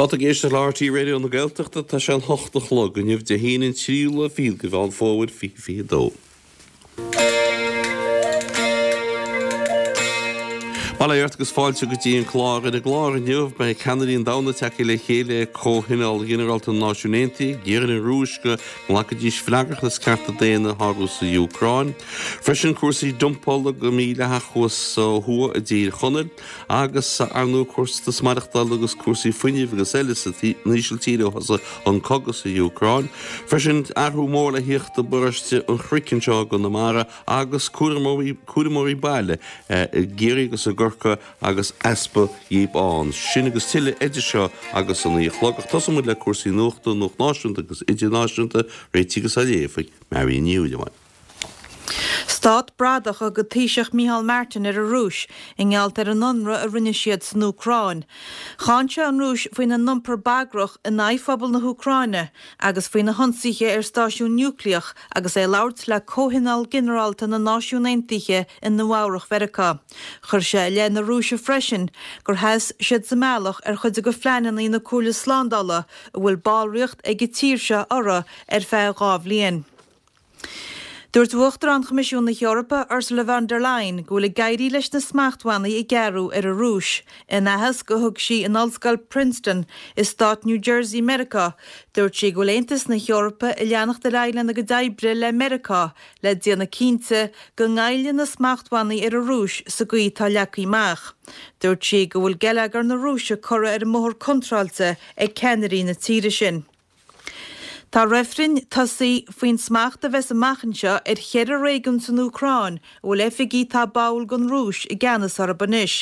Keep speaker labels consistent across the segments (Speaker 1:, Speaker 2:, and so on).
Speaker 1: Tá tú ag éisteacht le RTÉ Raidió na Gaeltachta, tá sé an hocht a chlog inniu, Dé hAoine an tríú lá fichead de Mheán Fómhair 2022. Bail ó Dhia ort agus fáilte go dtí an clár. Ar an gclár inniu, beidh ceannairí an domhain tagtha le chéile ag Comhthionól Ginearálta na Náisiún Aontaithe ag iarraidh ar an Rúis go nglacfaidís freagracht as cearta daonna a shárú sa Úcráin. Freisin cúrsaí dumpála go mídhleathach thuas ó thuaidh i dTír Chonaill. Agus, ar ndóigh, costas maireachtála agus cúrsaí fuinnimh agus eile san Ísiltír ó thosaigh an cogadh sa Úcráin. Freisin, athrú mór le thíocht i bparóiste an Chnoic anseo i gConamara agus cúramóirí baile i gCiarraí agus i gCorcaigh agus easpa dhíobh ann. Sin agus tuilleadh idir seo agus a naoi a chlog. Ach tosóidh muid le cúrsaí nuachta, nuacht náisiúnta agus idirnáisiúnta, réitithe agus á léamh ag Marion Ní Shúilleabháin.
Speaker 2: Stát bradach a thug an Taoiseach Micheál Martin ar an Rúis i ngeall ar an ionradh a rinne siad san Úcráin. Cháin sé an Rúis faoina n-iompar bagrach in aghaidh phobal na hÚcráine agus faoi na hionsaithe ar stáisiún núicléach agus é ag labhairt le Comhthionól Ginearálta na Náisiún Aontaithe i Nua-Eabhrac Mheiriceá. Chuir sé i leith na Rúise freisin gur sheas siad sa mbealach ar chuid de phleananna na Comhairle Slándála a bhfuil ballraíocht ag an tír seo orthu ar feadh 2 bhliain. Dúirt Uachtarán Choimisiún na hEorpa, Ursula von der Leyen, go bhfuil ag éirí leis na smachtbhannaí a gearradh ar an Rúis. In aitheasc a thug sí in Ollscoil Princeton i stát New Jersey Meiriceá, dúirt sí go bhfuil Aontas na hEorpa ag leanacht ar aghaidh lena gcuid oibre le Meiriceá le déanamh cinnte go ngoillfidh na smachtbhannaí ar an Rúis sa gcaoi atá leagtha amach. Dúirt sí go bhfuil geilleagar na Rúise curtha ar an mbóthar contráilte ag ceannairí na tíre sin. Tá reifrinn tosaithe faoin smacht a bheas amach anseo ar cheithre réigiún san Úcráin a bhfuil oifigigh atá báúil don Rúis i gceannas orthu anois.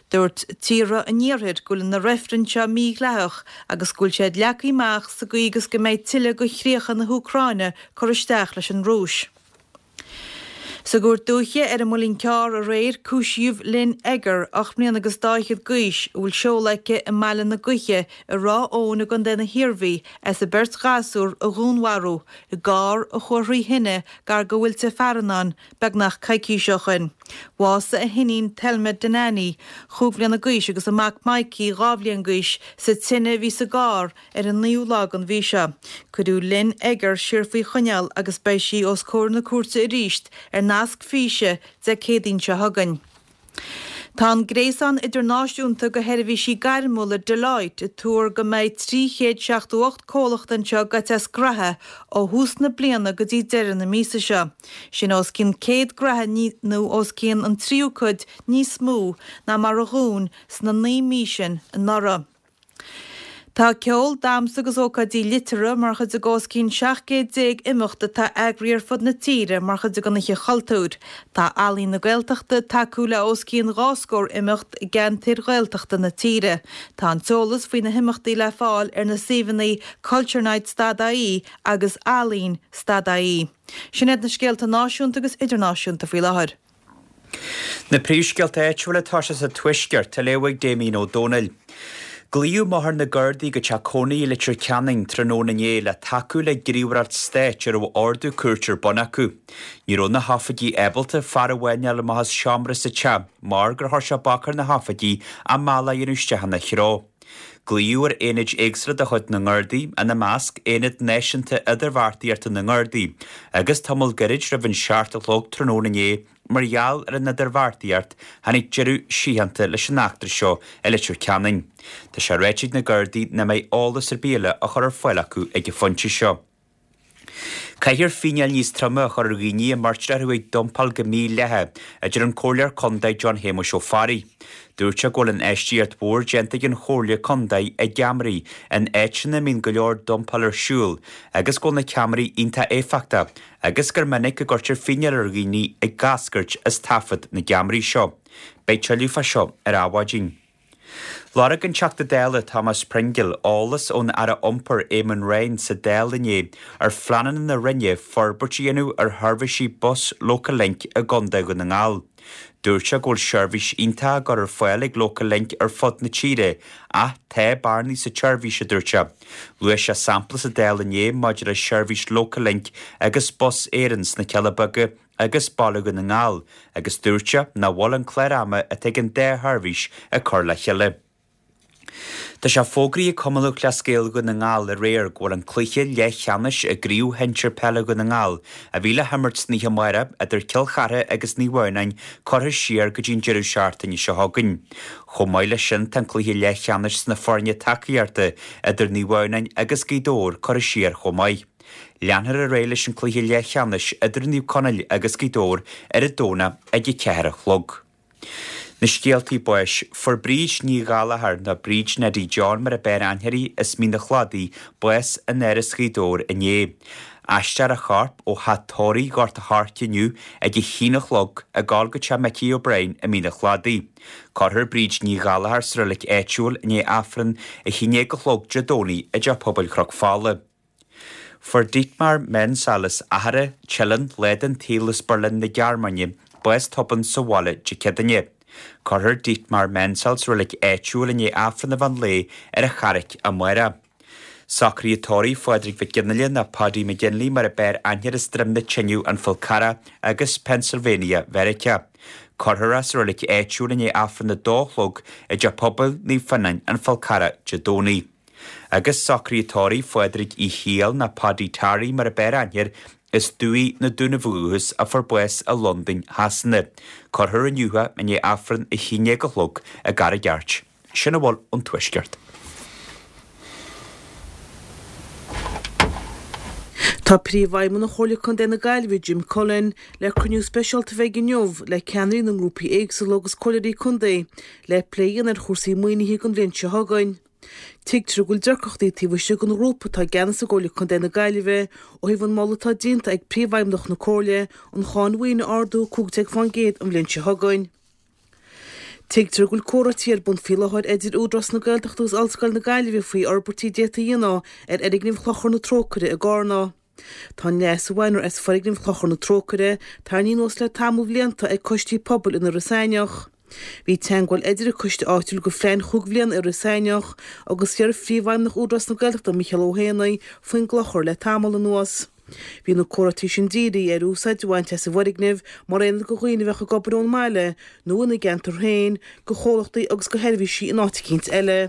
Speaker 2: Dúirt tíortha an iarthair go bhfuil na reifrinn seo mídhleathach agus go bhfuil siad leagtha amach sa gcaoi agus go mbeidh tuilleadh de chríocha na hÚcráine curtha isteach leis an Rúis. Sa gCúirt Dúiche ar an Muileann Cearr aréir cúisíodh Lynn Egger, 8 mbliana agus dá fhichead d'aois, a bhfuil seoladh aici i mBaile na Gaoithe i Ráth Eoghain i gContae na hIarmhí, as a beirt ghasúr a dhúnmharú i gcarr a chuaigh thrí thine gar do Mhuilte Farannáin beagnach coicís ó shoin. Bhásaigh a hiníon Thelma Dennany, chúig bhliana d'aois agus a mac Mikey, 2 bhliain d'aois, sa tine a bhí sa gcarr Ar an naoú lá den mhí seo, cuireadh Lynn Egger siar faoi choinneáil agus beidh sí os comhair na cúirte arís ar nasc físe Dé Céadaoin seo chugainn. Tá an gréasán idirnáisiúnta de sheirbhísí gairmiúla Deloitte ag tuar go mbeidh 378 comhlacht anseo gaibhte as graithe ó thús na bliana go dtí deireadh na míosa seo. Sin os cionn 100 graithe nó os cionn an tríú cuid níos mó ná mar a dhún sna 9 mí sin anuraidh. Tá ceol, damhsa agus ócáidí liteartha mar chuid de os cionn 17 céad imeacht atá eagraithe ar fud na tíre mar chuid den Oíche Chultúir. Tá Ealaín na Gaeltachta ag tacú le os cionn dhá scór imeacht i gceantair Ghaeltachta na tíre. Tá an t-eolas faoi na himeachtaí le fáil ar na suíomhanna culturenights.ie agus ealaín.ie. Sin iad na scéalta náisiúnta agus idirnáisiúnta faoi láthair.
Speaker 3: Na príomhscéalta áitiúla atá sé sa Tuaisceart, á léamh ag Damien Ó Dónaill. Glaodh i mBóthar na Gardaí go teach cónaithe i Leitir Ceanainn tráthnóna inné le tacú le gníomhaireacht stáit a raibh ordú cúirte ar bun acu. Ní raibh na hoifigigh ábalta fear amháin a fháil amach as seomra sa teach mar gur chuir sé bac ar na hoifigigh a mbealach a dhéanamh isteach ina threo. Glaodh ar aonaid éagsúla de chuid na nGardaí, ina measc, Aonad Náisiúnta Idirbheartaíochta na nGardaí, agus tamall gairid roimh an seacht a chlog tráthnóna inné, mar gheall ar an idirbheartaíocht, tháinig deireadh síochánta leis an eachtra seo i Leitir Ceanainn. Tá sé ráite ag na Gardaí nach mbeidh eolas ar bith eile á chur ar fáil acu ag an phointe seo. Caithfear fíneáil níos troime a chur ar dhaoine a mbeirtear orthu ag dumpáil go mídhleathach, a deir an Comhairleoir Contae John Shéamuis Ó Fearraigh. Dúirt sé go bhfuil infheistíocht mhór déanta ag an Chomhairle Contae i gceamaraí in áiteanna a mbíonn go leor dumpáil ar siúl agus go bhfuil na ceamaraí iontach éifeachtach agus gur minic a gcuirtear fíneáil ar dhaoine ag eascairt as taifead na gceamaraí seo. Beidh tuilleadh fá seo ar Adhmhaidin. Lorg an Teachta Dála Thomas Pringle eolas ón Aire Iompair Eamon Ryan sa Dáil inné ar phleananna na Roinne forbairt a dhéanamh ar sheirbhísí bus Local Link i gContae Dhún na nGall. Dúirt sé go bhfuil seirbhís iontach á gcur ar fáil ag Local Link ar fud na tíre ach tá bearnaí sa tseirbhís, a dúirt sé. Luaigh sé sampla sa Dáil inné maidir le seirbhís Local Link agus Bus Éireann sna Cealla Beaga agus Baile Dhún na nGall agus dúirt sé nach bhfuil an clár ama atá ag an dá sheirbhís ag cur le chéile. Tá sé fógraithe ag Cumann Lúthchleas Gael Dhún na nGall aréir go bhfuil an cluiche leathcheannais i gCraobh Shinsir Peile Dhún na nGall, a bhí le himirt san oíche amárach idir Cill Chartha agus Naomh Adhamhnáin, curtha siar go dtí an deireadh seachtaine seo chugainn. Chomh maith leis sin tá an cluiche leathcheannais sna foirne tacaíochta idir Naomh Adhamhnáin agus Gaoth Dobhair curtha siar chomh maith. Leanfar ar aghaidh leis an cluiche leathcheannais idir Naomh Conaill agus Gaoth Dobhair ar an Domhnach ag a 4 a chlog. Na scéaltaí báis. Fuair Bríd Ní Ghallachair, nó Bríd Neidí John mar a b'fhearr aithne uirthi, as Mín a' Chladaigh, bás in Áras Ghaoth Dobhair inné. Aistreofar a chorp ó theach tórraimh Ghort a' Choirce inniu ag a haon a chlog ag gabháil go teach Micí O'Brien i Mín a' Chladaigh. Cuirfear Bríd Ní Ghallachair sa reilig áitiúil i ndiaidh Aifreann a haon déag a chlog Dé Domhnaigh i dTeach Pobail Chnoc Fola. Fuair Dietmar Menzel as Achadh Teileann, lá den tsaol as Berlin na Gearmáine, bás tobann sa bhaile Dé Céadaoine. Cuirfear Dietmar Menzel sa reilig áitiúil i ndiaidh Aifreann an mheán lae ar an Charraic amárach. Socruithe tórraimh Phádraig Mhic Fhionnghaile nó Paddy McGinley mar a b'fhearr aithne air as Droim na Teineadh, An Fál Carrach agus Pennsylvania Mheiriceá. Cuirfear é sa reilig áitiúil i ndiaidh Aifreann a dó a chlog i dTeach Pobail Naomh Fionnáin, An Fál Carrach, Dé Domhnaigh. Agus socruithe tórraimh Phádraig Uí Shiail nó Paddy Tarry mar a b'fhearr aithne air, as Dumhaigh na Dúnaibh ó dhúchas a fuair bás i Londain Shasana. Cuirfear inniu é i ndiaidh Aifreann a haon déag a chlog i gCarraig Airt. Sin a bhfuil ón Tuaisceart.
Speaker 4: Tá Príomhfheidhmeannach Chomhairle Contae na Gaillimhe, Jim Cullen, le cruinniú speisialta a bheidh inniu le ceannairí na ngrúpaí éagsúla agus comhairleoirí contae le plé a dhéanamh ar chúrsaí maoinithe don bhliain seo chugainn. Tuigtear go bhfuil deacrachtaí taobh istigh den ghrúpa atá i gceannas i gComhairle Contae na Gaillimhe ó thaobh an moladh atá déanta ag Príomhfheidhmeannach na Comhairle an cháin mhaoine a ardú 15% an bhliain seo chugainn. Tuigtear go bhfuil comhráití ar bun faoi láthair idir Údarás na Gaeltachta agus Ollscoil na Gaillimhe faoi fhorbairtí a d'fhéadfaí a dhéanamh ar fhoirgneamh Chlochar na Trócaire i gCarna. Tá an leas a bhainfear as foirgneamh Chlochar na Trócaire tarraingthe anuas le tamall blianta ag coistí pobail in Iorras Aithneach. Bhí teagmháil idir an coiste áitiúil go phlean chúig bhliana Iorras Aithneach agus iar-phríomhfheidhmeannach Údarás na Gaeltachta Micheál Ó hÉanaí faoin gclochar le tamall anuas. Bhí na comhráití sin dírithe ar úsáid a bhaint as an bhfoirgneamh mar aonad do dhaoine a bheadh ag obair ón mbaile nó ina gceantar féin, do chomhlachtaí agus do sheirbhísí in áit eicínt eile.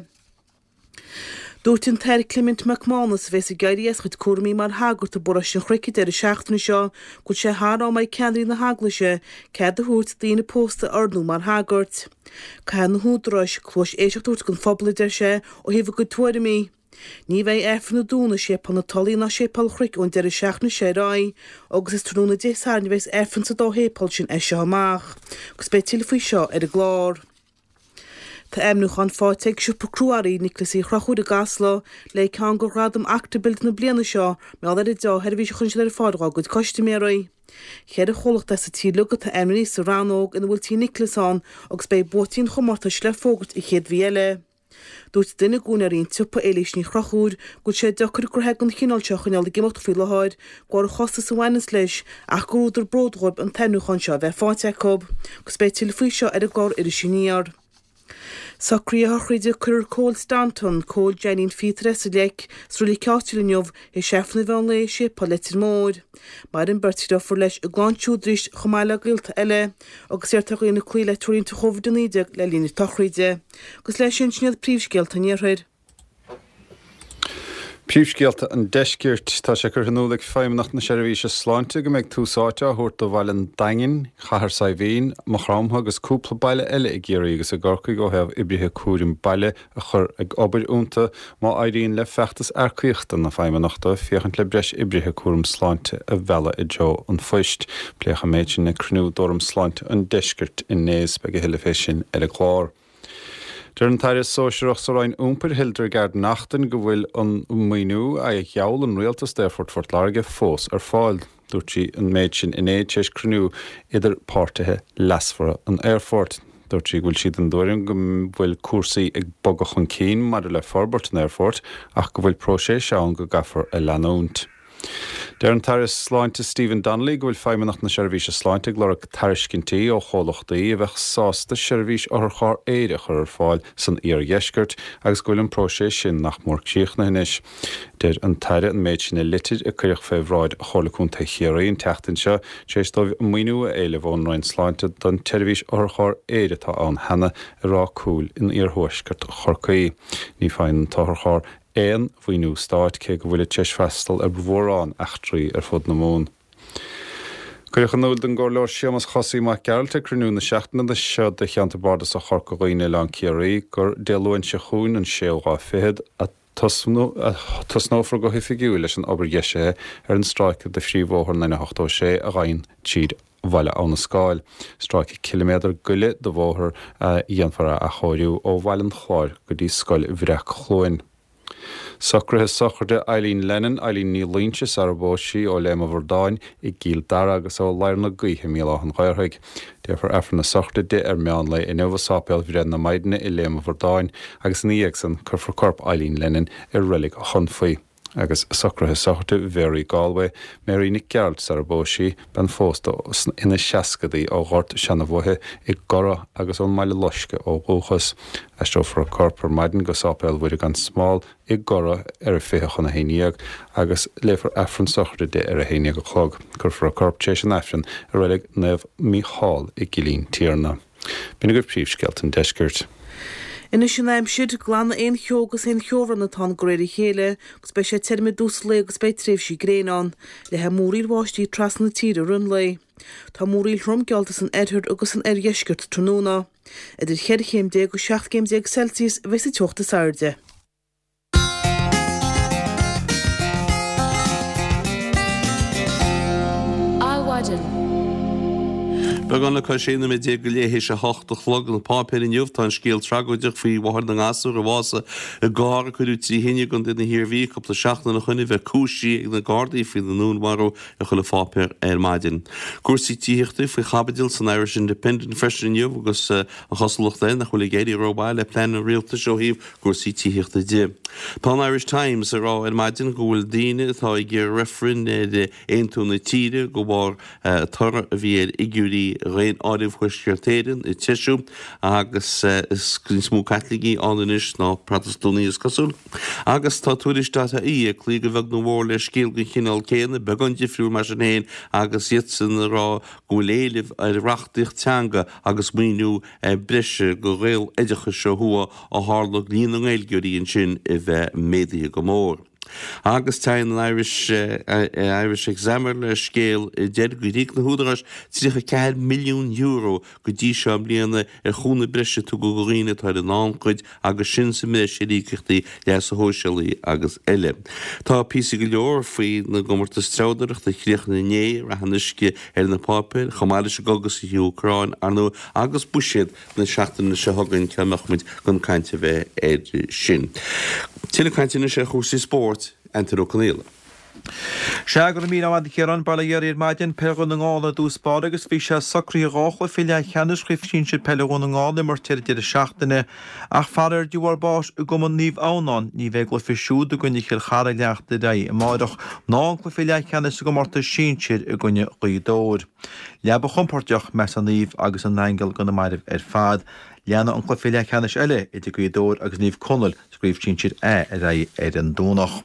Speaker 4: Dúirt an tAthair Clement Mac Mánais, a bheas ag éirí as a chuid cúraimí mar shagart i bparóiste an Chnoic an deireadh seachtaine seo, go bhfuil sé thar am ag ceannairí na hEaglaise cead a thabhairt daoine pósta a ordnú mar shagairt. Caithfidh na húdaráis cluais éisteachta a thabhairt don phobal, a deir sé, ó thaobh a gcuid tuairimí. Ní bheidh Aifreann a dúnadh i Séipéal na Tulaí ná Séipéal an Chnoic ón deireadh seachtaine seo ar aghaidh agus is tráthnóna Dé Sathairn a bheas Aifreann sa dá shéipéal sin as seo amach. Agus beidh tuilleadh faoi seo ar an gclár. Tá ainmniúchán faighte ag siopa crua-earraí Niocláis Uí Chonchúir i gCasla le ceann de ghradaim Acta Build na bliana seo mar gheall ar an deá-sheirbhís a chuireann siad ar fáil dhá gcuid custaiméirí. Cheithre chomhlacht as an tír uilig atá ainmnithe sa rannóg ina bhfuil Tí Niocláis ann agus beidh buaiteoirí an chomórtais le fógairt an chéad mhí eile. Dúirt duine d'úinéirí an tsiopa, Éilís Ní Chonchúir, go bhfuil sé deacair gnoithe den chineál seo a choinneáil ag imeacht faoi láthair, de bharr an chostais a bhaineanns leis, ach gur údar bróid dhóibh an t-ainmniúchán seo a bheith faighte acu. Agus beidh tuilleadh faoi seo ar an gclár Iris Aniar. Socruithe a shochraide Cuirfear Cóil Staunton, Cóil Jeainín Phíotair as an Leic, sa reilig áitiúil inniu, théis Aifreann an mheán lae i Séipéal Leitir Móir. Maireann beirt dheirfiúr leis i gclann siúd arís chomh maith le gaolta eile, agus iarrtar ar dhaoine cloí le treoirlínte Covid-19 le linn na sochraide. Agus leis sin, sin iad príomhscéalta an Iarthair.
Speaker 5: Príomhscéalta an Deiscirt. Tá sé curtha in iúl ag Feidhmeannacht na Seirbhíse Sláinte go mbeidh tús áite á thabhairt do Bhaile an Daingin, Cathair Saidhbhín, Maigh Chromtha agus cúpla baile eile i gCiarraí agus i gCorcaigh ó thaobh oibrithe cúraim baile a chur ag obair iontu má éiríonn le feachtas earcaíochta na Feidhmeannachta féachaint le breis oibrithe cúraim sláinte a mhealladh i dtreo an phoist. Pléadh an méid sin ag cruinniú d'Fhóram Sláinte an Deiscirt inné is beidh a thuilleadh fé sin ar an gclár. Deir an tAire Sóisearach sa Roinn Iompair, Hildegarde Naughton, go bhfuil an maoiniú a gheall an Rialtas d'Aerfort Phort Láirge fós ar fáil. Dúirt sí an méid sin inné tar éis cruinniú idir páirtithe leasmhara an aerfoirt. Dúirt sí go bhfuil sí den dtuairim go bhfuil cúrsaí ag bogadh chun cinn maidir le forbairt an aerfoirt ach go bhfuil próiseas ann go gcaithfear a leanúint. Deir an tAire Sláinte Stephen Donnelly go bhfuil Feidhmeannacht na Seirbhíse Sláinte ag lorg tairiscintí ó chomhlachtaí a bheadh sásta seirbhís otharcharr aeir a chur ar fáil san iardheisceart agus go bhfuil an próiseas sin nach mór críochnaithe anois. Deir an tAire an méid sin i litir a cuireadh fé bhráid Chomhairle Contae Chiarraí an tseachtain seo tar éis dóibh maoiniú a éileamh ón Roinn Sláinte don tseirbhís otharcharr aeir atá ann cheana i Ráth Cúil in iarthuaisceart Chorcaí. Ní faigheann an t-otharcharr aon mhaoiniú stáit, cé go bhfuilid tar éis freastal ar mhórán eachtraí ar fud na Mumhan. Cuireadh in iúl don gComhairleoir Séamus Chosaí Mac Gearailt ag cruinniú na seachtaine seo de Cheantar Bardasach Chorca Dhuibhne Oileán Ciarraí gur Dé Luain seo chugainn, an séú lá fichead, a tosnófar go hoifigiúil leis an obair dheisithe ar an stráice de phríomhbhóthar an N86 a ghabhann tríd Bhaile Abha na Scáil, stráice ciliméadar go leith de bhóthar a dhéanfar a athchóiriú ó Bhaile an Chláir go dtí Scoil Bhreac-Chluain. Socruithe sochraide Eileen Lennon, Eileen Ní Loingsigh sar a phós sí, ó Léim an Bhradáin i gCill Dara agus ó Ladhar na Gaoithe i mBéal Átha an Ghaorthaidh. Déarfar Aifreann na sochraide di ar meán lae inniu i Sáipéal Bhreith na Maighdine i Léim an Bhradáin agus ina dhiaidh san cuirfear corp Eileen Lennon i Reilig Chonfaí. Agus socruithe sochraide Mhary Galway, Mary Nic Gearailt sar a phós sí, bean phósta ina seascadaí ó Ghort Seanabhoithe i gCorra agus ón mBaile Loiscthe ó dhúchas. Aistreofar a corp ar maidin go Sáipéal Mhuire gan Smál i gCorra ar a 10:40 agus léifear Aifreann sochraide di ar a 11 a chlog. Cuirfear a corp tar éis an Aifrinn i reilig Naomh Mícheál i gCillín Tiarna. B'in agaibh príomhscéalta an deiscirt.
Speaker 4: Anois an aimsir, glanfaidh aon cheo agus aon cheobhrán atá ann de réir a chéile agus beidh sé tirim i dtús an lae agus beidh tréimhsí gréine ann. Leathfaidh múraíl bháistí trasna na tíre i rith an lae. Tá múraíl throm geallta san oirthear agus san oirdheisceart tráthnóna. Idir cheithre chéim déag agus 17 gcéim Celsius a bheidh sa teocht is airde.
Speaker 1: Adhmhaidin. Beagán le cois 16 nóiméad go leith théis a hocht a chlog. Na páipéir inniu, tá an scéal tragóideach faoi mháthair na ngasúr a bhásaigh i gcarr a cuireadh trí thine i gContae na hIarmhí cúpla seachtain ó shoin a bheith cúisithe ag na Gardaí faoina ndúnmharú i chuile pháipéar ar maidin. Cúrsaí tithíochta faoi chaibidil san Irish Independent freisin inniu agus an chosúlacht air nach bhfuil ag éirí rómhaith le plean an rialtais ó thaobh cúrsaí tithíochta de. Tá an Irish Times ag rá ar maidin go bhfuil daoine atá ag iarraidh reifrinn ar aontú na tíre de bharr toradh a bhí ar fhigiúirí Dhaonáireamh Thuaisceart Éireann ag treisiú agus is níos mó Caitlicigh ann anois ná Protastúnaigh is cosúil. Agus tá Tuairisc dot ie ag cloí go bheag nó mhór le scéal den chineál céanna, beagán difriúil mar sin féin agus iadsan ag rá go bhfuil éileamh ar reachtaíocht teanga agus maoiniú breise do Ghaeloideachas ó thuaidh ó tharla líon na nGaeilgeoirí ansin a bheith méadaithe go mór. Agus téann an Irish Irish Examiner le scéal a deir gur íoc na húdaráis €34 milliún go dtí seo i mbliana ar chúnamh breise a tugadh do dhaoine atá ar an ngannchuid agus sin sa mbreis ar íocaíochtaí leasa shóisialaigh agus eile. Tá píosaí go leor faoi na gcomórtais treabhdóireachta a chríochnaigh inné i Rath an Uisce ar na páipéir, chomh maith leis an gcogadh sa Úcráin, ar ndóigh, agus buiséad na seachtaine seo chugainn, cá mbeadh muid gan caint a bheith air sin. Tuilleadh cainte anois ar chúrsaí spóirt, Antaine Ó Conaola.
Speaker 6: Sea, go raibh míle maith agat a Chiaráin, bail ó Dhia oraibh ar maidin, Peil Dhún na nGall ar dtús báire agus bhí sé socraithe dhá chluiche leathcheannais Chraobh Shinsir Peile Dhún na nGall a imirt ar an deireadh seachtaine ach faraor de bharr báis i gCumann Naomh Adhamhnáin ní bheidh a gcluiche siúd i gcoinne Chill Chartha ag leanacht ar aghaidh amáireach ná an cluiche leathcheannais sa gcomórtas sinsir i gcoinne Ghaoth Dobhair. Leaba chompordach, measann Naomh agus a n-aingil do na mairbh ar fad. Leanfaidh an cluiche leathcheannais eile idir Gaoth Dobhair agus Naomh Conaill sa gCraobh Sinsir A ar aghaidh ar an Domhnach.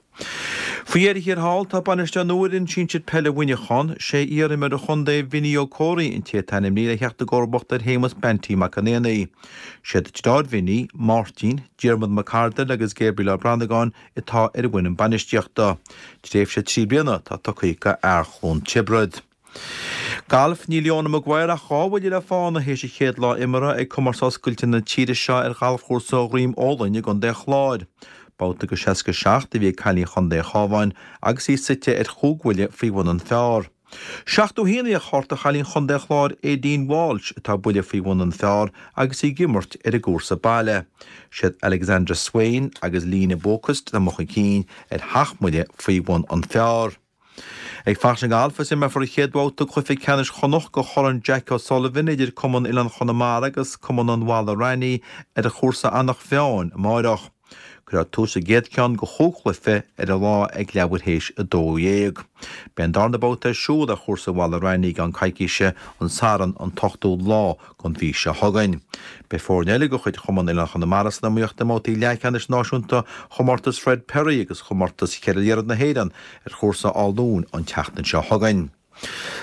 Speaker 6: Faoi dheireadh thiar thall, tá bainisteoir nua ar fhoireann sinsir peile Mhuineacháin. Sé iar-imreoir an chontae, Vinny Ó Comhraí, an té atá ainmnithe le theacht i gcomharbacht ar Shéamus Banty Mac an Éanaigh. Siad deartháir Vinny, Máirtín, Diarmuid Mac Ardail agus Gabriel Ó Branagáin atá ar an bhfoireann bainistíochta. Tréimhse 3 bliana atá tugtha do fhear Chluain Tiobraid. Galf, Níl Leona Maguire ach dhá bhuille le fána théis a chéad lá imeartha ag Comórtas Oscailte na tíre seo ar ghalfchúrsa Dhroim Ólainn i gContae an Chláir. Babhta go 67 a bhí ag cailín Chontae an Chabháin agus í suite ar chúig bhuille faoi bhun an phar. 71 a bhí ar chárta chailín Chontae an Chláir Aideen Walsh atá buille faoi bhun an phar agus í ag imirt ar an gcúrsa baile. Siad Alexandra Swain agus Lena Boquist atá amuigh chun cinn ar sheacht mbuille faoi bhun an phar. Ag fanacht sa ngalf is imreofar an chéad bhabhta cluiche ceannais Chonnacht de Chorn Jack O'Sullivan idir Cumann Oileán Chonamara agus Cumann an Bhalla Raithní ar chúrsa Eanach Mheáin amáireach. Cuirfear tús sa gcéad cheann de chúig chluiche ar an lá ag leathuair théis 12. Beidh an darna babhta ar siúl ar chúrsa Bhaile Raithní i gceann coicíse, an Satharn an t-ochtú lá den mhí seo chugainn. Beidh foirne eile de chuid Chumann Oileán Chonamara san iomaíocht i mbabhtaí leathcheannais náisiúnta Chomórtas Fred Perry agus Chomórtas Cheithre Liathróid na hÉireann ar chúrsa Áth Luain an tseachtain seo chugainn.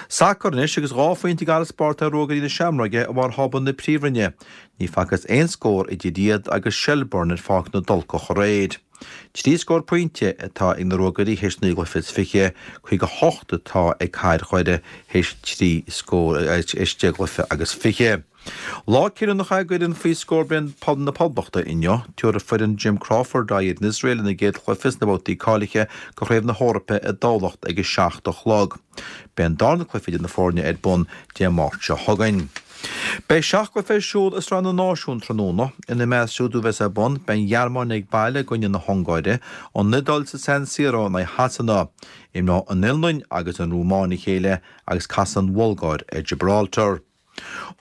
Speaker 6: Sacar anois agus 2 phointe i bhfarasbarr ar Ruagairí na Seamróige i bharr thábla na Príomhroinne. Ní facthas aon scór idir iad agus Shelbourne ar Pháirc na dTulcach aréir. 3 scór pointe atá ag na Ruagairí théis naoi gcluiche is fiche, 58 atá ag Cathair Dhoire théis 3 scór théis 10 gcluiche agus fiche. Lá cinniúnach é d'fhoireann faoi scór bliain na Poblachta inniu. Tabharfaidh foireann Jim Crawford aghaidh ar an Iosrael ina gcéad chluiche sna babhtaí cáilithe do Chraobh na hEorpa i dTamhlacht ag 7 a chlog. Beidh an darna cluiche idir na foirne ar bun Dé Máirt seo chugainn. Beidh seacht gcluiche ar siúl i Sraith na Náisiún tráthnóna. Ina measc siúd a bheas ar bun, beidh an Ghearmáin ag baile i gcoinne na hUngáire, an Iodáil sa San Siro in aghaidh Shasana, imreoidh an Fhionlainn agus an Rúmáin a chéile agus casfaidh an Bhulgáir ar Gibraltar.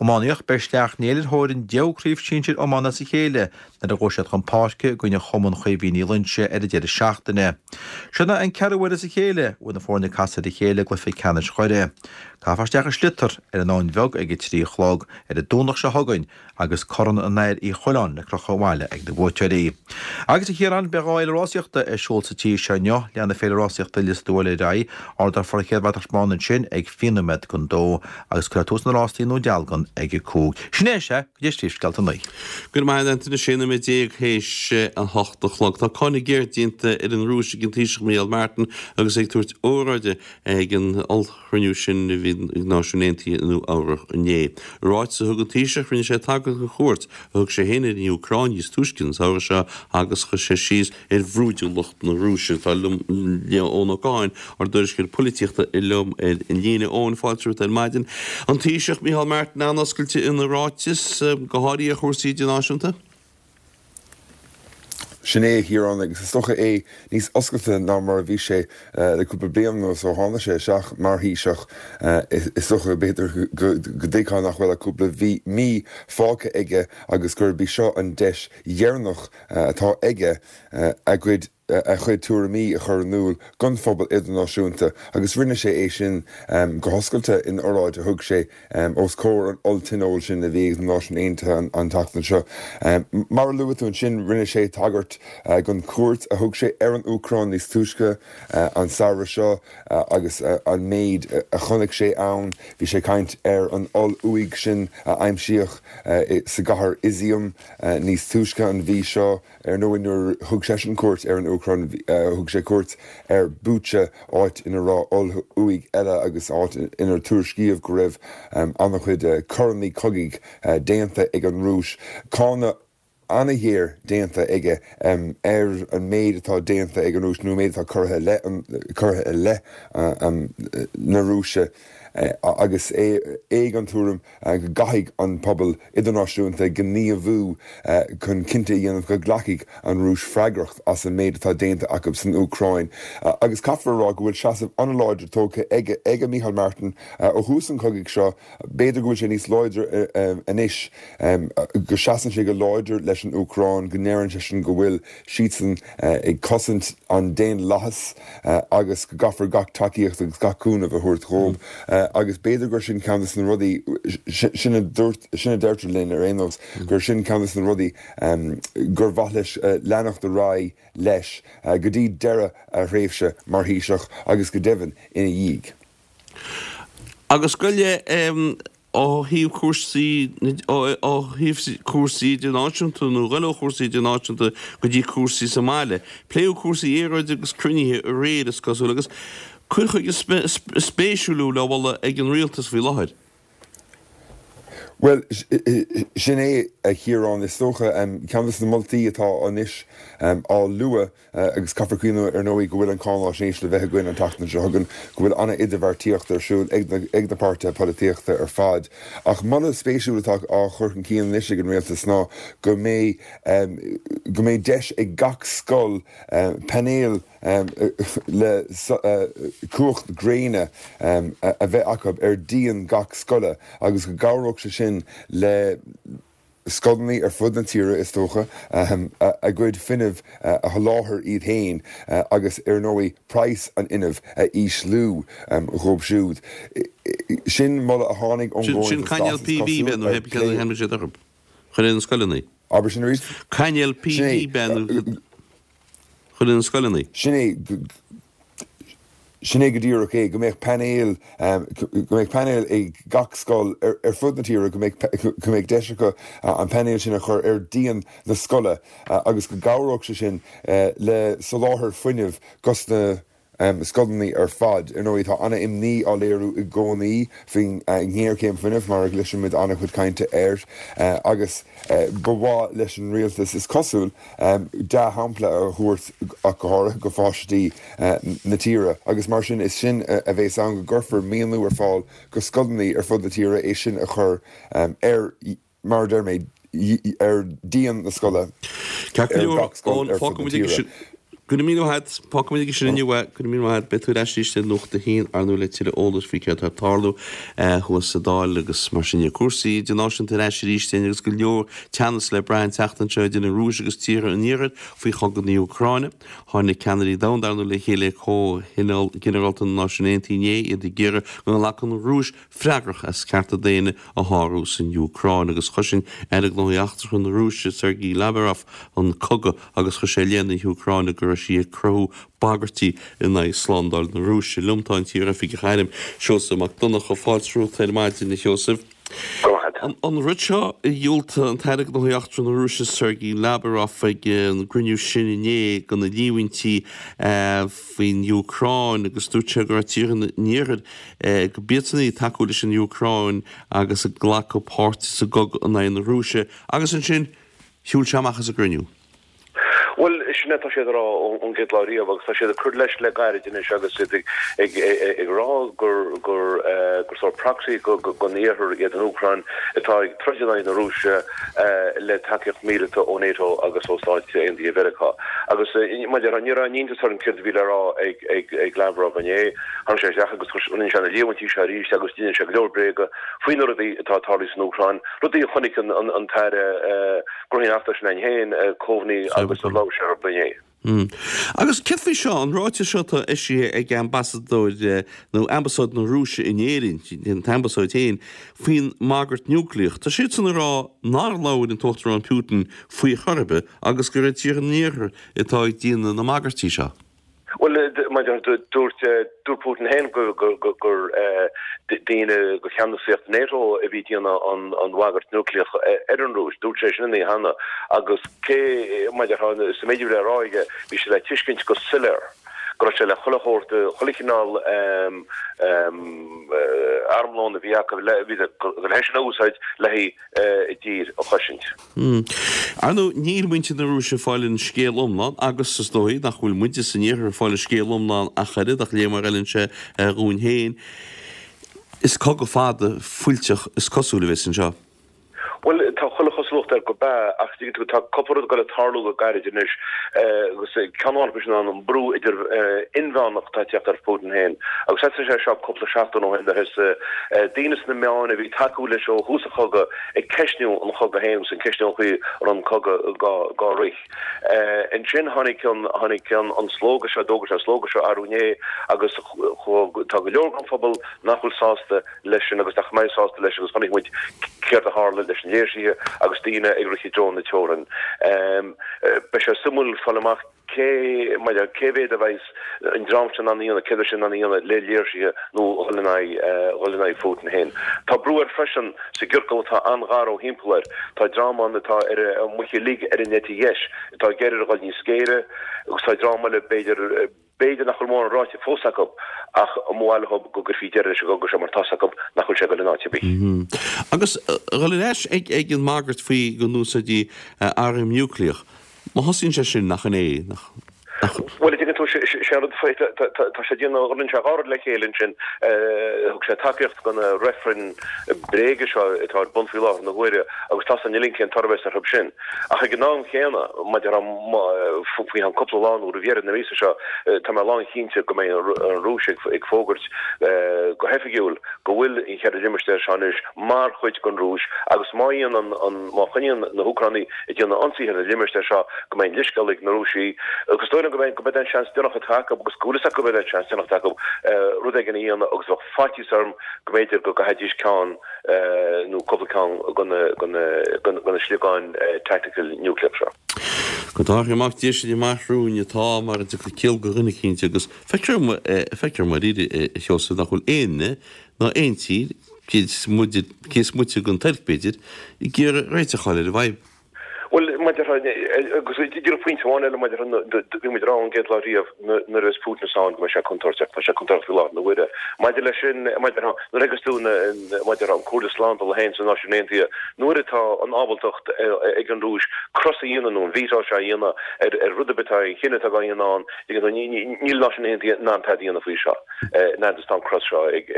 Speaker 6: Iománaíocht, Beidh Sleacht Néill ar thóir an deichiú craobh sinsir iomána as a chéile nuair a ghabhfaidh siad chun páirce i gcoinne Chumann Chaoimhín Uí Loingsigh ar an deireadh seachtaine. Sin é an ceathrú huair as a chéile a bhfuil na foirne ag casadh ar a chéile i gcluiche ceannais Dhoire. Caithfear isteach an sliotar ar an Abhainn Bheag ag a 3 a chlog ar an Domhnach seo chugainn agus Corn an Air Uí Choileáin le crochadh abhaile ag na buaiteoirí. Agus a Chiaráin, beidh 2 fhéile rásaíochta ar siúl sa tír seo inniu. Leanfaidh Féile Rásaíochta Lios Tuathail ar aghaidh, ardófar an chéad bhratach bán ansin ag fiche nóiméad don dó agus cuirfear tús na rástaí i nDún Dealgan ag a 5. Sin é, sea, go dtí Príomhscéalta 9.
Speaker 1: Go raibh maith agat Antaine, 16 nóiméad théis a hocht a chlog. Tá cáineadh géar déanta ar an Rúis ag an Taoiseach Micheál Martin agus é ag tabhairt óráide ag an chruinniú sin a bhí ag Náisiúin Aontaithe i Nua Eabhrac inné. I ráiteas a thug an Taoiseach, rinne sé tagairt don chuairt a thug sé féin ar an Úcráin níos túisce an samhradh seo agus chuir sé síos ar bhrúidiúlacht na Rúise. Tá liom Eoin Ó Catháin, ár dtuairisceoir polaitíochta, liom ar an líne. Eoin, fáilte romhat ar maidin. An Taoiseach Micheál Martin an-oscailte ina ráiteas, go háirithe ar chúrsaí idirnáisiúnta.
Speaker 7: Sin é, a Chiaráin, agus is dócha é níos oscailte ná mar a bhí sé le cúpla bliain anuas ó tháinig sé isteach mar Thaoiseach. Is dócha, b'fhéidir, go dtuigfeá nach bhfuil ach cúpla mí fágtha aige agus gurb í seo an deis dheireanach atá aige a gcuid a chuid tuairimí a chur in iúl don phobal idirnáisiúnta agus rinne sé é sin go hoscailte in oráid a thug sé os comhair an olltionóil sin a bhí ag na Náisiúin Aontaithe an tseachtain seo. Mar a luaigh tú ansin, rinne sé tagairt don chuairt a thug sé ar an Úcráin níos túisce an samhradh seo agus an méid a chonaic sé ann. Bhí sé ag caint ar an oll-uaigh sin a aimsíodh sa gcathair Izium níos túisce an mhí seo. Ar ndóigh, nuair a thug seisean cuairt ar an Úcráin, thug sé cuairt ar Bucha, áit ina raibh oll-uaigh eile agus áit inar tuairiscíodh go raibh an-chuid coireanna cogaidh déanta ag an Rúis. Cáineadh an-ghéar déanta aige ar an méid atá déanta ag an Rúis, nó an méid atá curtha curtha i leith na Rúise agus é ag an tuairim go gcaithfidh an pobal idirnáisiúnta gníomhú chun cinnte a dhéanamh go nglacfaidh an Rúis freagracht as an méid atá déanta acu san Úcráin. Agus caithfear a rá go bhfuil seasamh an-láidir tógtha ag Micheál Martin ó thús an chogaidh seo, b'fhéidir go bhfuil sé níos láidre anois, go seasann sé go láidir leis an Úcráin, go ndeireann seisean go bhfuil siadsan ag cosaint an daonlathais agus go gcaithfear gach tacaíocht agus gach cúnamh a thabhairt dhóibh agus b'fhéidir gur sin ceann de na rudaí, sin a dúirt, sin a deirtear linn ar aon nós, gur sin ceann de na rudaí gur mhaith leis leanacht ar aghaidh leis go dtí deireadh a thréimhse mar Thaoiseach agus go deimhin ina dhiaidh.
Speaker 1: Agus goile ó thaobh cúrsaí, ó thaobh cúrsaí idirnáisiúnta nó goil ó chúrsaí idirnáisiúnta go dtí cúrsaí sa mbaile. Pléadh cúrsaí aeráide agus cruinnithe aréir is cosúil agus cur chuige spéisiúil le moladh ag an rialtas faoi láthair.
Speaker 7: Bhuel, sin é, a Chiaráin, is dócha, ceann de na moltaí atá anois á lua Agus caithfear cuimhneamh, ar ndóigh, go bhfuil an cáináisnéis le bheith againn an tseachtain seo chugainn, go bhfuil an-idirbheartaíocht ar siúl ag na páirtithe polaitíochta ar fad. Ach moladh spéisiúil atá á chur chun cinn anois ag an rialtas ná go mbeidh go mbeidh deis ag gach scoil painéil le cumhacht gréine a bheith acu ar dhíon gach scoile agus go gcabhródh sé sin le. scoileanna ar fud na tíre, is dócha, a gcuid fuinnimh a sholáthar iad féin agus, ar ndóigh, praghas an fhuinnimh a ísliú dhóibh siúd. Sin moladh a tháinig ón
Speaker 1: Sin
Speaker 7: gComhaontas
Speaker 1: cainéal
Speaker 7: Glas, is
Speaker 1: PV
Speaker 7: cosúil,
Speaker 1: b'ea nó
Speaker 7: ar
Speaker 1: hé céard a
Speaker 7: plé.
Speaker 1: tháinig siad orthu? Chuir na scoileanna.
Speaker 7: Abair sin arís?
Speaker 1: Cainéal
Speaker 7: Sin
Speaker 1: PV b'ea nó
Speaker 7: é.
Speaker 1: chuir na scoileanna.
Speaker 7: Sin é. Sin é go díreach é, go mbeadh painéil, go mbeadh painéil ag gach scoil ar fud na tíre, go mbeadh, go mbeadh deis acu an painéal sin a chur ar dhíon na scoile agus go gcabhródh sé sin le soláthar fuinnimh dos na scoileanna ar fad. Ar ndóigh, tá an-imní á léiriú i gcónaí faoin ngéarchéim fuinnimh, mar a gcloisimid an-chuid cainte air, agus ba mhaith leis an rialtas, is cosúil, dea-shampla a thabhairt ach go háirithe go pháistí na tíre agus mar sin is sin a bhéas ann go gcuirfear maoiniú ar fáil go scoileanna ar fud na tíre é sin a chur ar mar a deir mé ar dhíon na scoile
Speaker 1: Ceart go
Speaker 7: ar
Speaker 1: leor,
Speaker 7: gach scoil
Speaker 1: Eoin,
Speaker 7: ar fud
Speaker 1: fágfaidh
Speaker 7: na
Speaker 1: muid aige
Speaker 7: tíre.
Speaker 1: sin. Go raibh míle maith agat, fágfaidh muid aige sin inniu é. Go raibh míle maith agat. Beidh tú ar ais arís ar Nuacht a hAon, ar ndóigh, le tuilleadh eolais faoi céard atá ag tarlú thuas sa Dáil agus mar sin de. Cúrsaí idirnáisiúnta ar ais arís linn agus go leor teannas le brath an tseachtain seo idir an Rúis agus tíortha an Iarthair faoi chogadh na hÚcráine. Tháinig ceannairí domhanda, ar ndóigh, le chéile ag Comhthionól Ginearálta na Náisiún Aontaithe inné, iad ag iarraidh go nglacfadh an Rúis freagrach as cearta daonna a shárú san Úcráin agus chosain Aire Gnóthaí Eachtracha na Rúise Sergei Lavrov an cogadh agus chuir sé i leith na hÚcráine go raibh sí ag cruthú bagairtí in aghaidh slándáil na Rúise. Liom tá an t-iar-oifigeach airm, Seosamh Mac Donncha. Fáilte romhat ar maidin, a Sheosaimh.
Speaker 8: Go raibh maith.
Speaker 1: An rud seo a dhiúltaigh an tAire Gnóthaí Eachtracha na Rúise Sergei Lavrov ag an gcruinniú sin inné do na líomhaintí faoin Úcráin agus dúirt sé go raibh tíortha an Iarthair go b'iadsan ag tacú leis an Úcráin agus ag glacadh páirte sa gcogadh in aghaidh na Rúise agus ansin shiúil sé amach as an gcruinniú.
Speaker 8: Bhuel, sin é atá siad a rá ón gcéad lá riamh agus tá siad ag cur leis le gairid anois agus iad ag rá gur gur gur sórt proxy don Iarthar iad an Úcráin atá ag troid in aghaidh na Rúise le tacaíocht mhíleata ó NATO agus ó Stáit Aontaithe Mheiriceá. Agus mar a déarfá, ní raibh aon iontas orm céard a bhí le rá ag Lavrov inné. Tháinig sé isteach agus rinne sé na líomhaintí seo arís agus d'inis sé go leor bréaga faoi na rudaí atá ag tarlú san Úcráin, rudaí a chonaic an tAire Gnóthaí Eachtracha sin ann féin, Coveney agus a labhair sé orthu inné.
Speaker 1: Agus céard faoi seo, an ráiteas seo atá eisithe ag ambasadóir nó ambasáid na Rúise in Éirinn, an t-ambasáid féin, faoin mbagairt núicléach. Tá siadsan ag rá nár labhair an tUachtarán Putin faoi chor ar bith agus gur iad tíortha an Iarthair atá ag déanamh na mbagairtí seo.
Speaker 8: Bhuel, mar a dúirt, dúirt Putin féin gur daoine de cheannasaíocht NATO a bhí ag déanamh an bhagairt núicléach ar an Rúis. Dúirt sé sin an oíche cheana agus cé, mar a déarfá, sa méid a bhí le rá aige, bhí sé le tuiscint go soiléir go raibh sé le chuile shórt, chuile chineál armlón a bhí acu, bhí sé le é sin a úsáid le haghaidh a dtír a chosaint.
Speaker 1: Ar ndóigh, níl muintir na Rúise ag fáil an scéal iomlán agus is dóigh nach bhfuil muide san Iarthar ag fáil an scéal iomlán ach oiread, ach léigh mar a fheileann sé dhúinn féin. Is cogadh fada fuilteach is cosúil a bheas anseo.
Speaker 8: Bhuel, tá chuile chosúlacht air gurb ea, ach tuigeann tú, tá cúpla rud ag dul ag tarlú go gairid anois agus ceann amháin acu sin ná an brú idir inmheánach atá ag teacht ar Putin féin. Agus thosaigh sé seo cúpla seachtain ó shin nuair a thosaigh daoine sna meáin a bhí ag tacú leis ó thús an chogaidh ag ceistniú an chogaidh féin agus ag ceistniú an chaoi a raibh an cogadh dhá rith. Ansin tháinig an tháinig an an slógadh seo, d'fhógair sé an slógadh seo arú inné agus tá go leor den phobal nach bhfuil sásta leis sin agus nach mbeidh sásta leis agus chonaic muid céard a tharla leis na léirsithe agus daoine ag rith i dtreo na teorann. Beidh sé suimiúil fáil amach Cé, mar a, cé mhéad a bheas an dream sin in ann a dhéanamh, céard a bheas siad in ann a dhéanamh le léirsithe nó dhul in aghaidh, dhul in aghaidh Phutin féin. Tá brú air freisin sa gciorcal atá an-ghar ó thimpeall air. Tá dream ann atá ar a muice uilig ar an eite dheis atá ag iarraidh air a dhul níos géire agus tá dream eile b'fhéidir, b'fhéidir nach bhfuil mórán ráite fós acu ach ba mhaith leo go gcuirfí deireadh leis an gcogadh seo mar tá's acu nach bhfuil sé ag dul in áit ar bith.
Speaker 1: Agus a dhul ar ais ag an mbagairt faoi go n-úsáidfí arm núicléach, Má thosaíonn sé sin, nach in é, nach. Nach.
Speaker 8: Bhuel, a dtuigeann tú, sé an rud faoi, tá sé ag déanamh, rinne sé dhá rud le chéile ansin, thug sé tacaíocht do na reifrinn bréige seo atá ar bun faoi láthair na huaire agus tá san uilig cén toradh a bheas orthu sin. Ach ag an am chéanna, maidir faoi cheann cúpla lá nó roimh dheireadh na míosa seo, tá mé lánchinnte go mbeidh an Rúis ag fógairt go hoifigiúil go bhfuil an cheithre limistéar seo anois mar chuid den Rúis agus má dhéanann an, má choinníonn na hÚcránaigh ag déanamh ionsaithe ar na limistéir seo go mbeidh an leithscéal ag na Rúisigh agus is dóigh liom go mbeidh, go mbeidh an seans deireanach atá acu agus go bhfuil fhios acu go mbeidh an seans deireanach atá acu rud éigin a dhéanamh agus bheadh faitíos orm go mb'fhéidir go gcaithfidís ceann nó cúpla ceann de na sliogáin tactical núicléach seo.
Speaker 1: Go dtabharfaidh Mac Dé sin amach romhainn atá mar a dtiocfaidh ciall do dhuine eicínt agus feictear feictear dom dáiríre a Sheosaimh nach bhfuil éinne ná aon tír, cé is moite den Tuirc b'fhéidir, ag iarraidh réiteach a fháil ar an bhfadhb.
Speaker 8: Bhuel, mar a déarfá, agus díreach pointe amháin eile, mar a déarfá, bhí muid ag rá ón gcéad lá riamh nuair a bheas Putin ann go mbeidh sé contúirteach, tá sé contúirteach faoi láthair na huaire. Maidir leis sin, mar a déarfá, nuair a thigeas tú, mar a déarfá, an Comhairle Slándála féin sna Náisiúin Aontaithe, nuair atá an ábaltacht ag an Rúis cros a dhéanamh nó an veto seo a dhéanamh ar rud ar bith atá, aon chinneadh atá á dhéanamh ann, níl na Náisiúin Aontaithe in ann tada a dhéanamh faoi seo. Fhad is tá an cros seo ag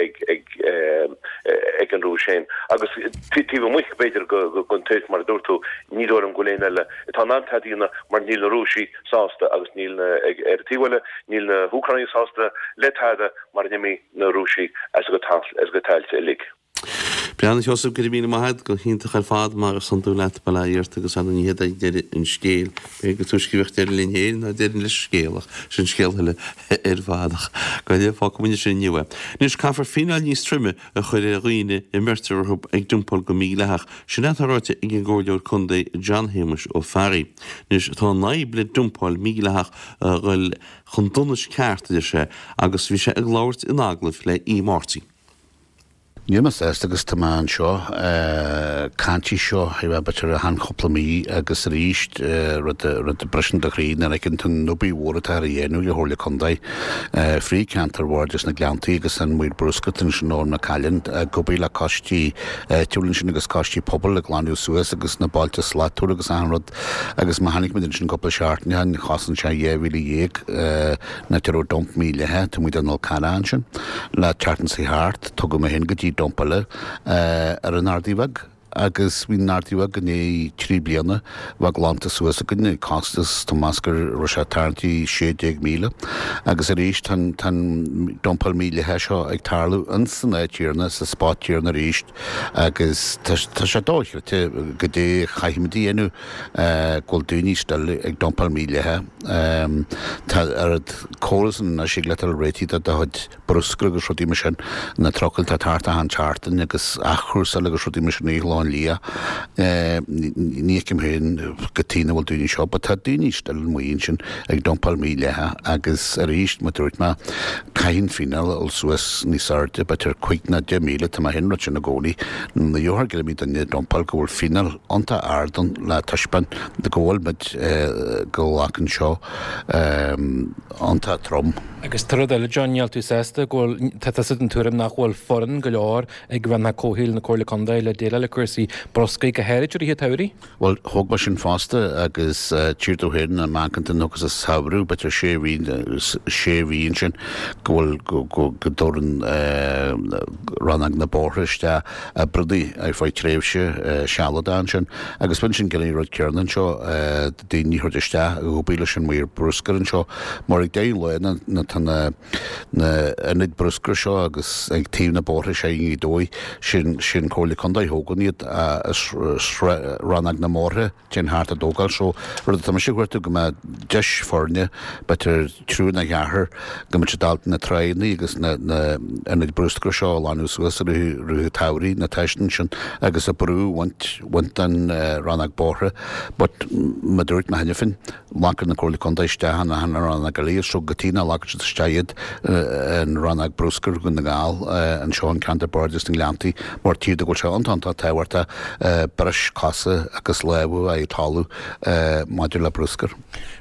Speaker 8: an Rúis féin. Agus taobh amuigh, b'fhéidir, den Tuirc, mar a dúirt tú, ní dóigh liom go bhfuil éinne eile atá in ann tada a dhéanamh mar níl na Rúisigh sásta agus níl na, ar an taobh eile, níl na hÚcránaigh sásta le tada mara n-imí na Rúisigh as a gcuid tailte uilig.
Speaker 1: Breá, a Sheosaimh, go raibh míle maith agat, go hiontach ar fad, mar is iondúil leat, bail ó Dhia ort agus ar ndóigh ní hé deireadh an scéil. B'fhéidir gur túisce a bheadh deireadh linn féin ná deireadh leis an scéal ach sin scéal eile ar fad ach go deimhin fágfaidh muid sin inniu é. Anois, caithfear fíneáil níos troime a chur ar dhaoine a mbeirtear orthu ag dumpáil go mídhleathach. Sin é atá ráite ag an gComhairleoir Contae John Shéamuis Ó Fearraigh. Anois, tá an fhadhb le dumpáil mhídhleathach a dhul chun donais ceart, a deir sé, agus bhí sé ag labhairt in agallamh le Aodh Máirtín.
Speaker 9: Níl mé sásta agus tá mé anseo ag caint faoi seo ar feadh b'fhéidir achan chúpla mí agus arís rud rud a briseann do chroí nuair a fheiceann tú an obair mhór atá á dhéanamh ag an Chomhairle Contae frí ceantar Bhairdis na Gleanntaí agus an maor bruscair ansin Eoin McCallion ag obair le coistí áitiúil ansin agus coistí pobail ag glanadh suas agus na bailte slachtmhara agus achan rud agus má tháinig muid ansin cúpla seachtain ó shin chosain sé 12,000 An áit a raibh dump mídhleathach taobh amuigh den Fhol Carrach ansin le tseachtain seo thart, tugadh mé féin go dtí dump eile ar an Ardaidh Bheag agus bhí an Ardaidh Bheag i ndiaidh trí bliana bheith glanta suas againn ag costas, tá mé ag meas go raibh sé tarraingtí 16,000 agus arís tá an tá an dumpáil mídhleathach seo ag tarlú ins an áit chéanna sa spot céanna arís agus tá sé dochreidte goidé a chaithfimid a dhéanamh go bhfuil daoine still ag dumpáil mídhleathach. Tá oiread córas anois ag le dul réitithe do do chuid bruscair agus rudaí mar sin, na trucail atá thart achan tseachtain agus athchúrsáil agus rudaí mar sin i Chlochán Liath. Ní fheicim féin cad chuige nach bhfuil daoine seo, but tá daoine still amuigh ansin ag dumpáil mídhleathach agus arís, mar a dúirt mé, Caithfidh an fíneáil a dhul suas níos airde, b'fhéidir 5 nó 10,000, tá mé féin ag rá sin i gcónaí. Ní gheofar go mbeidh duine ag dumpáil go bhfuil fíneáil iontach ard ann le taispeáint go bhfuil muid go nglacann seo iontach trom.
Speaker 10: Agus tá rud eile John, níl tú sásta go bhfuil, tá tusa den tuairim nach bhfuil foireann go leor ag Rannóg Comhshaoil na Comhairle Contae le déileáil le cúrsaí bruscair, go háirid i rith an tsamhraidh?
Speaker 9: Bhuel, thóg mé sin fosta agus tchítear domh féin na meánchanta agus an samhradh, b'fhéidir sé mhí, sé mhí ansin go bhfuil, go, go, go dtabharann Rannóg na Bóithre isteach oibreannaí ar feadh tréimhse sealadach ansin agus b'in sin gné rud céanna anseo, daoine a thabhairt isteach ag obair leis an maor bruscair anseo mar ag deireadh an lae na, na, tá na, na ionaid bruscair seo agus ag taobh na bóithre seo i nGaoth Dobhair, sin, sin Comhairle Contae a thógann iad, Rannóg na mBóithre, téann thart á dtógáil so rud atá mise ag cuartú go mbeadh deis foirne, b'fhéidir triúr nó ceathrar, go mbeadh siad ábalta na tráigheanna agus na, na ionaid bruscair seo a ghlanadh suas i rith, rith an tsamhraidh, na teisteanna sin agus an brú a bhaint, bhaint den Rannóg Bóithre but mar a dúirt mé cheana féin, Glacann na Comhairle Contae isteach in achan rannóg eile so go dtí nach nglacann siad. siad isteach iad in Rannóg Bruscair Dhún na nGall anseo an Ceantar Bardais na nGleanntaí mar tchítear go bhfuil sé iontach iontach tábhachtach breis cosa agus lámha a bheith ag tarlú maidir le bruscar.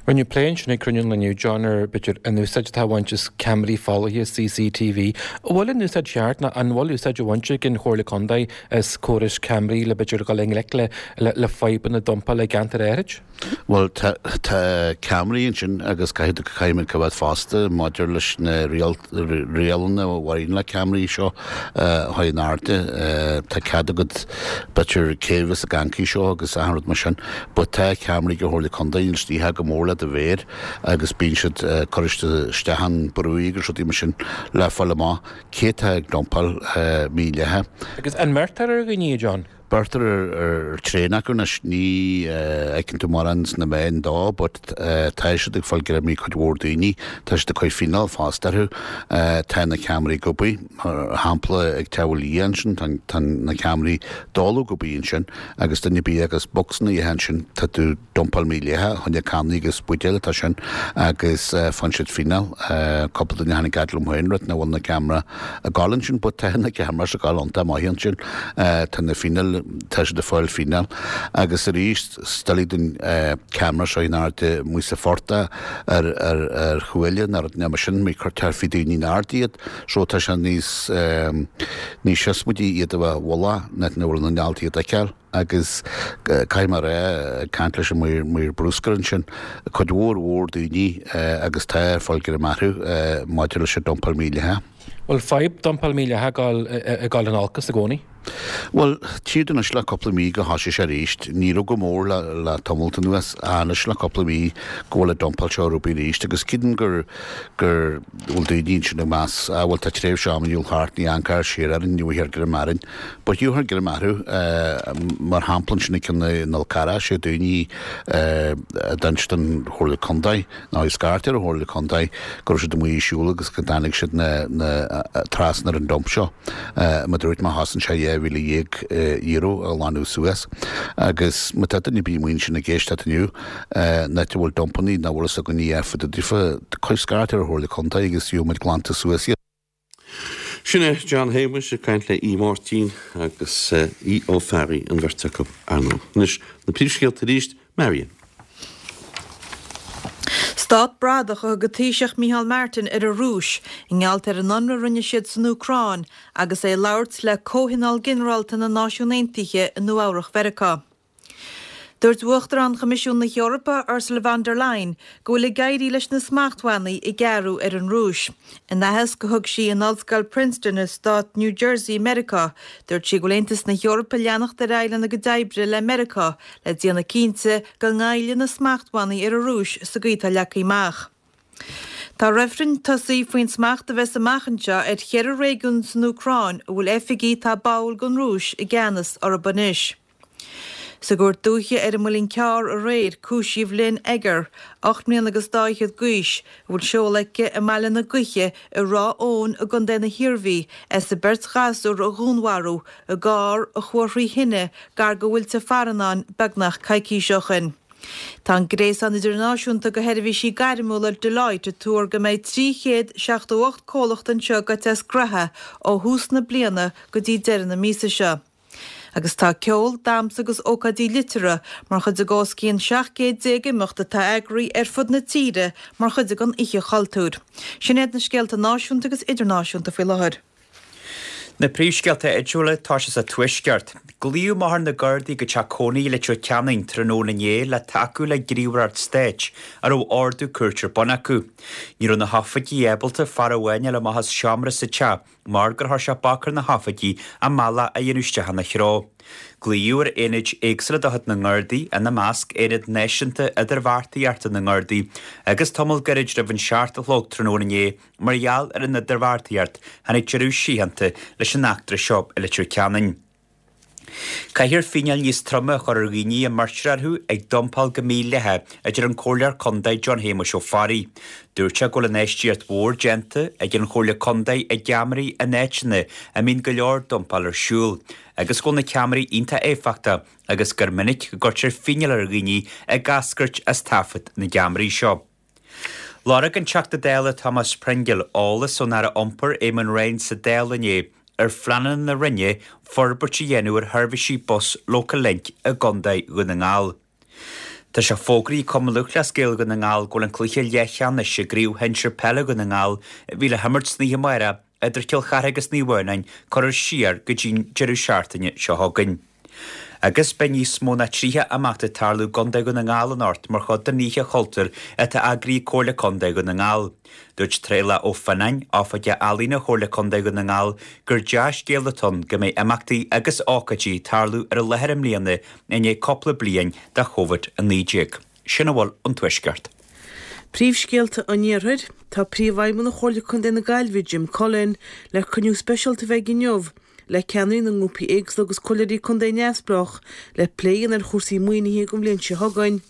Speaker 10: Rinneadh plé ansin ag cruinniú an lae inniu, John, ar b'fhéidir an úsáid atá á bhaint as ceamaraí folaithe CCTV. An bhfuil an úsáid cheart nó an bhfuil úsáid á bhaint ag an Chomhairle Contae as córais ceamaraí le b'fhéidir dul i ngleic le le fadhbanna dumpála i gceantair áithrid?
Speaker 9: Bhuel, tá ceamaraí ansin agus caithfidh caithfidh muid coimhéad fosta maidir leis na rialanna a bhaineann le ceamaraí seo a chur in airde. Tá cead agat b'fhéidir cé a bheas ag amharc seo agus achan rud mar sin but tá ceamaraí ag an Chomhairle Contae níl siad ach go mór le do mhéar agus bíonn siad ag cur isteach an brú agus rudaí mar sin le fáil amach cé atá ag dumpáil mídhleathach.
Speaker 10: Agus an mbeirtear ar dhaoine, a John?
Speaker 9: Beirtear ar tréan acu anois, ní fheiceann tú mórán sna meáin dó but tá siad ag fáil greim ar cuid mhór daoine, tá siad ag cur fíneáil fosta orthu. Tá na ceamaraí ag obair, mar shampla ag Teamhair Liath ansin, tá na ceamaraí dóladh ag obair ansin agus duine ar bith agus bocsanna a ithe ansin, tá tú. Dumpáil mídhleathach, choinne cannaí agus buidéil atá sin agus faigheann siad fíneáil. Cúpla duine a tháinig fhad liom féin rud nach bhfuil na ceamara ag gabháil ansin but tá na ceamara ag gabháil iontach maith ansin. Tá na fíneáil, tá siad ag fáil fíneáil agus arís is doiligh don ceamara seo in airde amuigh sa phortach ar ar ar chuaille nó rud mar sin, ní cuirtear faoi daoine in airde iad so tá sé níos níos siosmaidí iad a bheith i bhfolach ná nach bhfuil na nealtaí iad a fheiceáil. Agus caithfidh mé a rá, ag caint leis an maor bruscair ansin, cuid mhór mhór daoine agus tá ag fáil greim orthu maidir leis an dumpáil
Speaker 10: mídhleathach. Bhfuil fadhb dumpáil mídhleathach ag dul in olcas i gcónaí?
Speaker 9: Bhuel, tchítear anois le cúpla mí go thosaigh sé arís. Ní raibh go mór le tamalt anuas, anois le cúpla mí go bhfuil an dumpáil seo ar obair arís agus creidim gur gur bhfuil daoine ansin ag meas, ah bhuel tá tréimhse ama dhul thart, ní amharcfar siar orainn, ní bhfuil greim orainn. Ba gheobhthar greim orthu, mar shampla ansin i gCionn na Nol Carrach, sé daoine a d'inis don Chomhairle Contae, nó a scairt ar an Chomhairle Contae, go raibh siad amuigh ag siúl agus go dtáinig siad trasna ar an dump seo. Mar a dúirt mé, chosain sé €12,000 a ghlanadh suas. Agus má tá duine ar bith amuigh ansin ag éisteacht inniu, in áit a bhfuil dumpannaí nach bhfuil fhios againn a fud daofa, cuir scairt ar an Chomhairle Contae agus gheobhaidh muid glanta suas iad.
Speaker 1: Sin é John Shéamuis ag caint le Aodh Máirtín agus Aodh Ó Fearraigh, an bheirt acu, ar ndóigh. Anois, na príomhscéalta arís, Marion.
Speaker 2: Stát bradach a thug an Taoiseach Micheál Martin ar an Rúis i ngeall ar an ionradh a rinne siad san Úcráin agus é ag labhairt le Comhthionól Ginearálta na Náisiún Aontaithe i Nua-Eabhrac Mheiriceá. Dúirt Uachtarán Choimisiún na hEorpa, Ursula von der Leyen, go bhfuil ag éirí leis na smachtbhannaí a gearradh ar an Rúis. In aitheasc a thug sí in Ollscoil Princeton i stát New Jersey i Meiriceá, dúirt sí go bhfuil Aontas na hEorpa ag leanacht ar aghaidh lena gcuid oibre le Meiriceá le déanamh cinnte go ngoillfidh na smachtbhannaí ar an Rúis sa gcaoi atá leagtha amach. Tá reifreann tosaithe faoin smacht a bheas amach anseo ar cheithre réigiún san Úcráin a bhfuil oifigigh atá báúil don Rúis i gceannas orthu anois. Sa gCúirt Dúiche ar an Muileann Cearr aréir, cúisíodh Lynn Egger, 8 mbliana agus dá fhichead d'aois, a bhfuil seoladh aici i mBaile na Gaoithe i Ráth Eoin i gContae na hIarmhí, as a beirt ghasúr a dhúnmharú i gcarr a chuaigh thrí thine gar do Mhuilte Farannáin beagnach coicís ó shin. Tá an gréasán idirnáisiúnta de sheirbhísí gairmiúla Deloitte ag tuar go mbeidh 378 comhlacht anseo gaibhte as graithe ó thús na bliana go dtí deireadh na míosa seo. Agus tá ceol, damhsa agus ócáidí liteartha mar chuid de os cionn 17 céad imeacht atá eagraithe ar fud na tíre mar chuid den Oíche Chultúir. Sin iad na scéalta náisiúnta agus idirnáisiúnta faoi láthair.
Speaker 3: Na príomhscéalta áitiúla, tá sé sa Tuaisceart. Glaodh amach ar na Gardaí go teach cónaí i Leitir Ceanainn tráthnóna inné le tacú le gníomhaireacht stáit a raibh ordú cúirte ar bun acu. Ní raibh na hoifigigh ábalta fear amháin a fháil amach as seomra sa teach mar gur chuir sé bac ar na hoifigigh a mbealach a dhéanamh isteach ina threo. Glaodh ar aonaid éagsúla de chuid na nGardaí, ina measc Aonad Náisiúnta Idirbheartaíochta na nGardaí, agus tamall gairid roimh an seacht a chlog tráthnóna inné mar gheall ar an idirbheartaíocht tháinig deireadh síochánta leis an eachtra seo i Leitir Ceanainn. Caithfear fíneáil níos troime a chur ar dhaoine a mbeirtear orthu ag dumpáil go mídhleathach, a deir an Comhairleoir Contae John Shéamuis Ó Fearraigh. Dúirt sé go bhfuil infheistíocht mhór déanta ag an Chomhairle Contae i gceamaraí in áiteanna a mbíonn go leor dumpáil ar siúl agus go bhfuil na ceamaraí iontach éifeachtach agus gur minic go gcuirtear fíneáil ar dhaoine ag eascairt as taifead na gceamaraí seo. Lorg an Teachta Dála Thomas Pringle eolas ón Aire Iompair Eamon Ryan sa Dáil inné ar phleananna na Roinne forbairt a dhéanamh ar sheirbhísí bus Local Link i gContae Dhún na nGall. Tá sé fógraithe ag Cumann Lúthchleas Gael Dhún na nGall go bhfuil an cluiche leathcheannais i gCraobh Shinsir Peile Dhún na nGall a bhí le himirt san oíche amárach idir Cill Chartha agus Naomh Adhamhnáin curtha siar go dtí'n deireadh seachtaine seo chugainn. Agus beidh níos mó ná 30 imeacht ag tarlú i gContae Dhún na nGall anocht mar chuid den Oíche Chultúir atá eagraithe ag Comhairle Contae Dhún na nGall. Dúirt Traolach Ó Fionnáin, Oifigeach Ealaíona Chomhairle Contae Dhún na nGall, gur dea-scéal atá ann go mbeidh imeachtaí agus ócáidí ag tarlú ar an láthair i mbliana i ndiaidh cúpla bliain de Covid-19. Sin a bhfuil ón Tuaisceart.
Speaker 4: Príomhscéalta an Iarthair, Tá Príomhfheidhmeannach Chomhairle Contae na Gaillimhe, Jim Cullen, le cruinniú speisialta a bheidh inniu le ceannairí na ngrúpaí éagsúla agus comhairleoirí contae neamhspleách le plé a dhéanamh ar chúrsaí maoinithe don bhliain seo chugainn.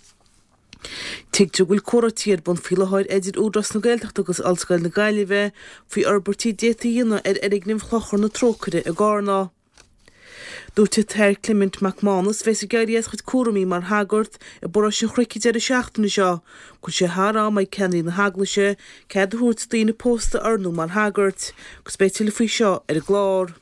Speaker 4: Tuigtear go bhfuil comhráití ar bun faoi láthair idir Údarás na Gaeltachta agus Ollscoil na Gaillimhe faoi fhorbairtí a d'fhéadfaí a dhéanamh ar fhoirgneamh Chlochar na Trócaire i gCarna. Dúirt an tAthair Clement Mac Mánais, a bheas ag éirí as a chuid cúraimí mar shagart i bparóiste an Chnoic an deireadh seachtaine seo, go bhfuil sé thar am ag ceannairí na hEaglaise cead a thabhairt do daoine pósta oirniú mar shagairt, agus beidh tuilleadh faoi seo ar an gclár.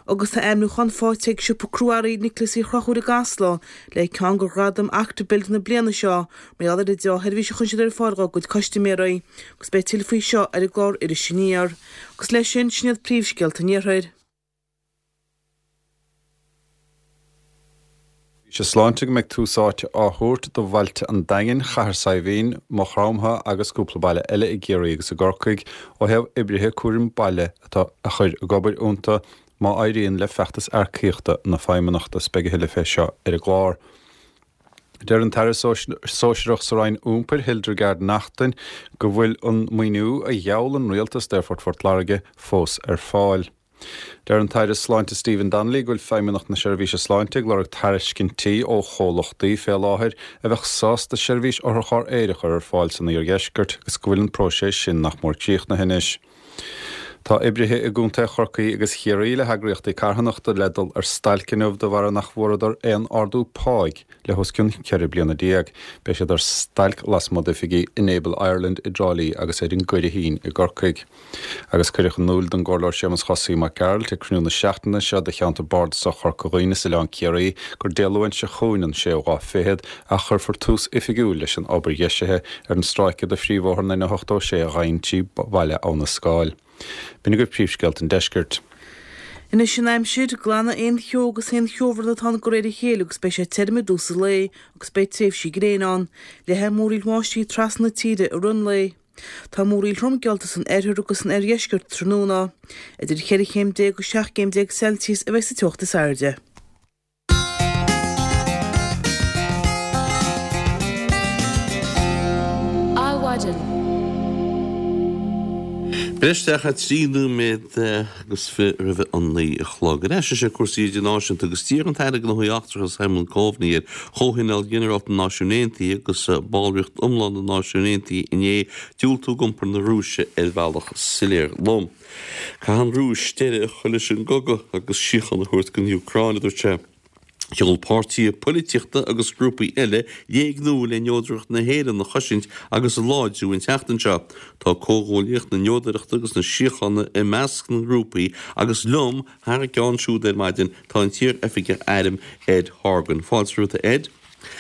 Speaker 4: Agus tá ainmniúchán faighte ag siopa crua-earraí Niocláis Uí Chonchúir i gCasla le ceann de ghradaim Active Build na bliana seo mar gheall ar an deá-sheirbhís a chuireann siad ar fáil dá gcuid custaiméirí, agus beidh tuilleadh faoi seo ar an gclár Iris Aniar. Agus leis sin, sin iad príomhscéalta an Iarthair.
Speaker 5: Seirbhíse Sláinte go mbeidh tús áite á thabhairt do bhailte an Daingin, Chathair Saidhbhín, Maigh Chromtha agus cúpla baile eile i gCiarraí agus i gCorcaigh ó thaobh oibrithe cúraim baile atá a chur ag obair iontu má éiríonn le feachtas earcaíochta na Feidhmeannachta. Beidh a thuilleadh fé seo ar an gclár. Deir an tAire Sóisearach sa Roinn Iompair, Hildegarde Naughton, go bhfuil an maoiniú a gheall an Rialtas d'Aerfort Phort Láirge fós ar fáil. Deir an tAire Sláinte Stephen Donnelly go bhfuil Feidhmeannacht na Seirbhíse Sláinte ag lorg tairiscintí ó chomhlachtaí fé láthair a bheadh sásta seirbhís otharcharr aeir a chur ar fáil san iardheisceart agus go bhfuil an próiseas sin nach mór críochnaithe anois. Tá oibrithe i gContae Chorcaí agus Chiarraí le heagraíochtaí carthanachta le dul ar stailc inniu de bharr nach bhfuaireadar aon ardú páigh le hos cionn 14 bliana. Beidh siad ar stailc lasmuigh d'oifigí Enable Ireland i dTrá Lí agus ar an gCurraichín i gCorcaigh. Agus cuireadh in iúl don gComhairleoir Séamus Chosaí Mac Gearailt ag cruinniú na seachtaine seo de Cheantar Bardasach Chorca Dhuibhne is Oileán Ciarraí gur Dé Luain seo chugainn an séú lá fichead a chuirfear tús oifigiúil leis an obair dheisithe ar an stráice de phríomhbhóthar an N86 a ghabhann trí bhaile Abha na Scáil. B'in agaibh príomhscéalta an deiscirt.
Speaker 4: Anois an aimsir, glanfaidh aon cheo agus aon cheobhrán atá ann de réir a chéile agus beidh sé tirim i dtús an lae agus beidh tréimhsí gréine ann. Leathfaidh múraíl bháistí trasna na tíre i rith an lae. Tá múraíl throm geallta san oirthear agus san oirdheisceart tráthnóna. Idir cheithre chéim déag agus 17 gcéim Celsius a bheidh sa teocht is airde.
Speaker 1: Adhmhaidin. Breis isteach ar 3 nóiméad agus 20 roimh an 9 a chlog. Ar ais anois ar cúrsaí idirnáisiúnta agus d'iarr an tAire Gnóthaí Eachtracha Simon Coveney ar Chomhthionól Ginearálta na Náisiún Aontaithe agus ballraíocht iomlán na Náisiún Aontaithe inné diúltú d'iompar na Rúise ar bhealach soiléir lom. Caithfidh an Rúis deireadh a chur leis an gcogadh agus síocháin a thabhairt don Úcráin, a dúirt sé. Sheol páirtithe poilitíochta agus grúpaí eile léig nua le neodracht na hÉireann a chosaint agus a láidriú an tseachtain seo. Tá Comhghuaillíocht na Neodrachta agus na Síochána i measc na ngrúpaí agus liom thar a gceann siúd ar maidin tá an t-iar-oifigeach airm Ed Horgan. Fáilte romhat a Ed.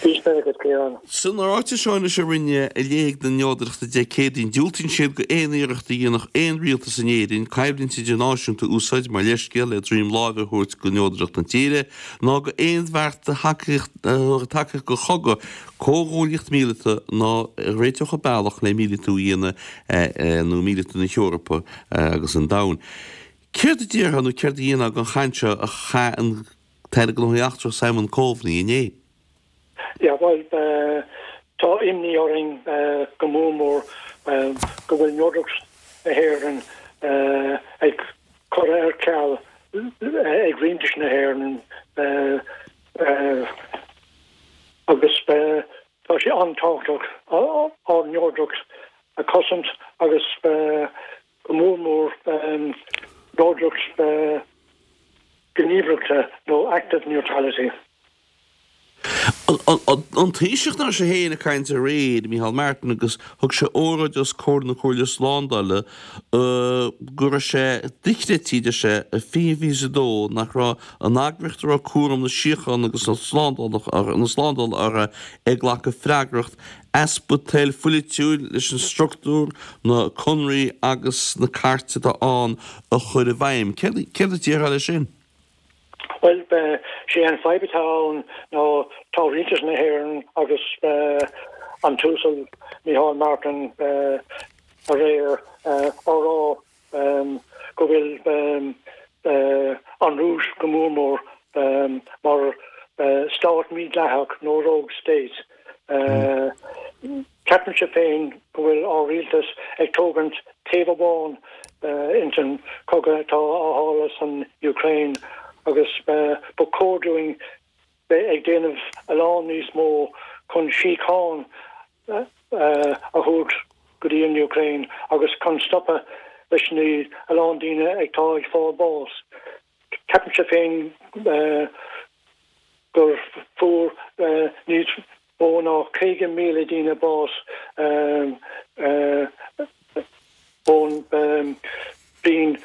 Speaker 11: Bís mé agat, Ciarán.
Speaker 1: San ráiteas seo anois a rinne Léig na Neodrachta Dé Céadaoin, diúltaíonn siad go aon iarracht a dhéanfadh aon rialtas in Éirinn coimhlint idirnáisiúnta a úsáid mar leithscéal le droim láimhe a thabhairt go neodracht na tíre, ná go aon bheart a thabharfadh tacaíocht go chogadh, comhghuaillíocht míleata ná a réiteodh an bealach le míleatú a dhéanamh nó míleatú na hEorpa agus an domhain. Céard a déarfá nó céard a dhéanfá den chaint seo a chaith an tAire Gnóthaí Eachtracha Simon Coveney inné.
Speaker 11: Yeah, bhuel, tá imní orainn go mór mór go bhfuil neodracht na hÉireann ag cur ar ceal ag rialtas na hÉireann agus tá sé an-tábhachtach ár neodracht a chosaint agus go mór mór neodracht gníomhaireachta nó active neutrality.
Speaker 1: An Taoiseach ná sé féin ag caint aréir, Micheál Martin, agus thug sé óráid os comhair na Comhairle Slándála go raibh sé dochreidte, deir sé, i 2022 nach raibh an eagraíocht a raibh cúram na síochána agus na slándála orthu ag glacadh freagracht easpa toil phoilitiúil leis an structúr, na conraí agus na cairte atá ann a chur i bhfeidhm. Céard a déarfá leis sin?
Speaker 11: Bhuel, sé an fadhb atá ann ná tá Rialtas na hÉireann agus an tUasal Micheál Martin aréir á rá go bhfuil an Rúis go mór mór mar stát mídhleathach nó rogue state. Ceapaimse féin go bhfuil ár rialtas ag tógaint taobh amháin ins an cogadh atá á tharla san Ukraine agus ba chóir dúinn bheith ag déanamh a lán níos mó chun síocháin a thabhairt go dtí an Ukraine agus chun stopadh leis na a lán daoine atá ag fáil bás. Ceapaimse féin gur fuair níos mó ná 50,000 daoine bás ón bhliain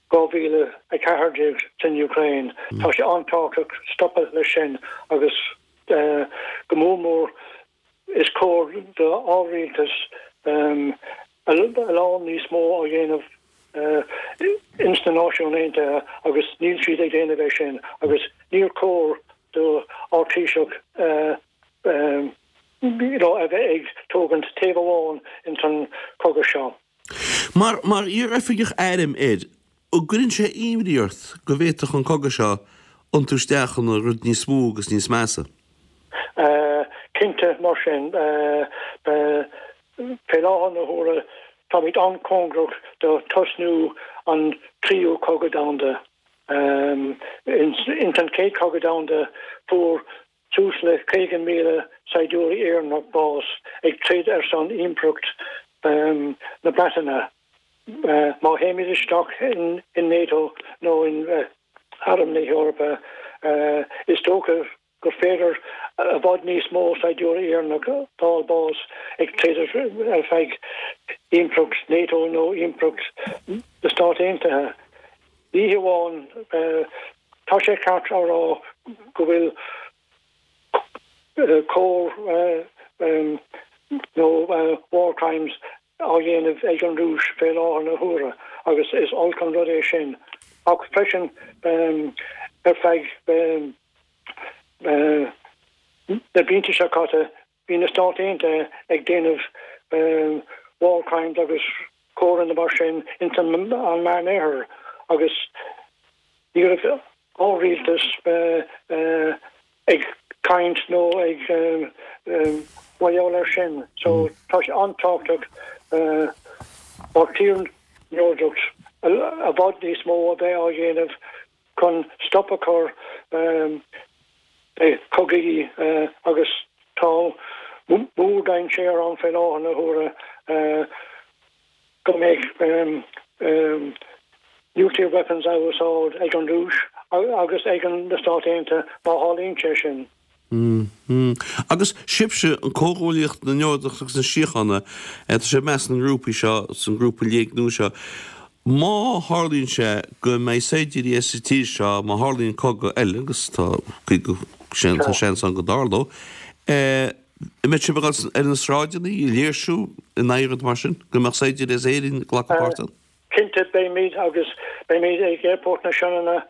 Speaker 11: 2014 san Ukraine. Tá sé an-tábhachtach stopadh leis sin agus go mór mór Is cóir do ár rialtas a lán níos mó a dhéanamh ins na Náisiúin Aontaithe agus níl siad ag déanamh é sin agus níor chóir do ár Taoiseach you know a bheith ag tógaint taobh amháin ins an cogadh seo.
Speaker 1: Mar mar iar-oifigeach airm air, an gcuireann sé imní ort go bhféadfadh an cogadh seo iontú isteach ina rud níos mó agus níos measa?
Speaker 11: Cinnte, mar sin, fé láthair na huaire táimid an-chóngarach do tosnú an tríú cogadh domhanda. Ins an chéad chogadh domhanda fuair Suas le 50,000 saighdiúirí Éireannach bás ag troid ar son Impireacht na Breataine. Má théimid isteach in NATO nó in Arm na hEorpa, is dócha gur féidir i bhfad níos mó saighdiúirí Éireannach fáil bás ag troid ar feadh Impireacht NATO nó Impireacht na Stát Aontaithe. Ní hamháin Tá sé ceart a rá go bhfuil coir nó war crimes á dhéanamh ag an Rúis fé láthair na huaire agus is olc an rud é sin. Ach freisin ar feadh na blianta seo caite Bhí na Stáit Aontaithe ag déanamh war crimes agus coireanna mar sin ins an Meán Oirthear agus ní raibh ár rialtas ag caint nó ag mar gheall air sin. So tá sé an-tábhachtach mar tír neodracht i bhfad níos mó a bheith á dhéanamh chun stop a chur le cogaí agus tá mór-dainséar ann fé láthair na huaire go mbeidh nuclear weapons á úsáid ag an Rúis agus ag na Stáit Aontaithe má tharlaíonn sé sin.
Speaker 1: Agus sibhse, an Comhghuaillíocht na Neodrachta agus na Síochána, tá sibh i measc na ngrúpaí seo, san grúpa léig nua seo. Má tharlaíonn sé go mbeidh saighdiúirí as an tír seo, má tharlaíonn cogadh eile, agus tá tá seans ann go dtarlódh, an mbeidh sibh ag dul ar na sráideanna ag léirsiú in aghaidh rud mar sin, go mbeadh saighdiúirí as Éirinn ag glacadh páirt ann?
Speaker 11: Cinnte, beimid agus beimid ag Aerfort na Sionainne,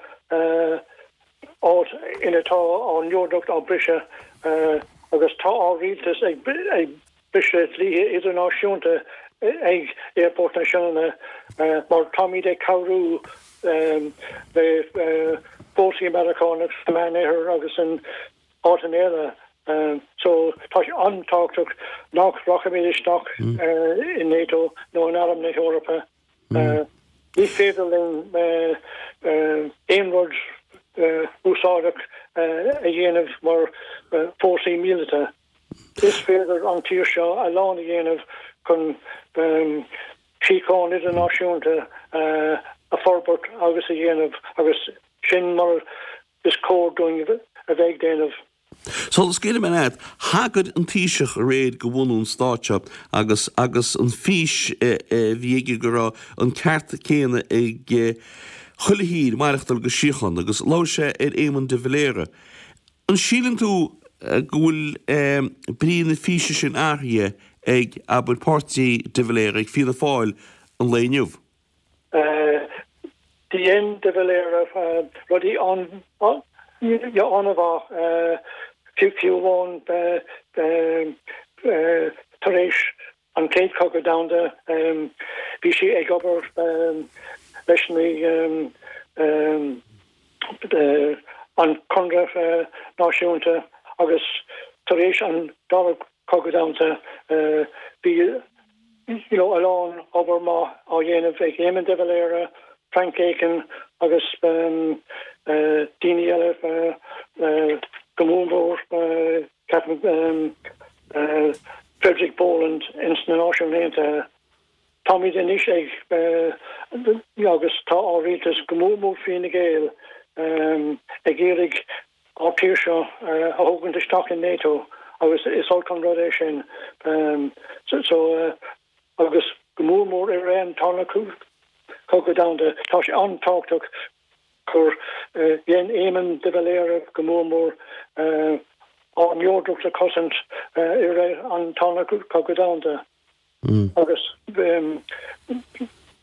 Speaker 11: áit ina tá ár neodracht á briseadh agus tá ár rialtas ag briseadh dlíthe idirnáisiúnta ag Aerfort na Sionainne mar táimid ag cabhrú le fórsaí Meiriceánach sa Meánoirthear agus in áiteanna eile. So tá sé an-tábhachtach nach rachaimid isteach in NATO nó in Arm na hEorpa. Ní féidir linn aon rud úsáideach a dhéanamh mar fórsaí míleata. Is féidir an tír seo a lán a dhéanamh chun síocháin idirnáisiúnta a forbairt agus a dhéanamh agus sin mar is cóir dúinn a bheith ag déanamh.
Speaker 1: Sula scaoilfidh mé leat, thagair an Taoiseach aréir go bhunú an stáit seo agus agus an fís a bhí aige go raibh an ceart céanna ag chuile thír maireachtáil go síochánta agus labhair sé ar Éamon de Valera. An síleann tú go bhfuil brí na físe sin athraithe ag, abair, páirtí de Valera, ag Fianna Fáil an lae inniu?
Speaker 11: Dhein de Valera rudaí an-mhaith, fiú amháin tar éis an Chéad Chogadh Domhanda bhí sé ag obair leis na an Conradh Náisiúnta agus tar éis an Dara Cogadh Domhanda bhí you know a lán obair maith á dhéanamh ag Éamon de Valera, Frank Aiken agus daoine eile go mór mór ceapaim Frederick Boland ins na Náisiúin Aontaithe. Táimid anois ag agus tá ár rialtas go mór mór Fine Gael ag iarraidh ár tír seo a thógaint isteach in NATO agus is olc an rud é sin. So agus go mór mór i rith an Tarna Cogadh Domhanda tá sé an-tábhachtach gur dhein Éamon de Valera go mór mór ár neodracht a chosaint i rith an Tarna Cogadh Domhanda. Agus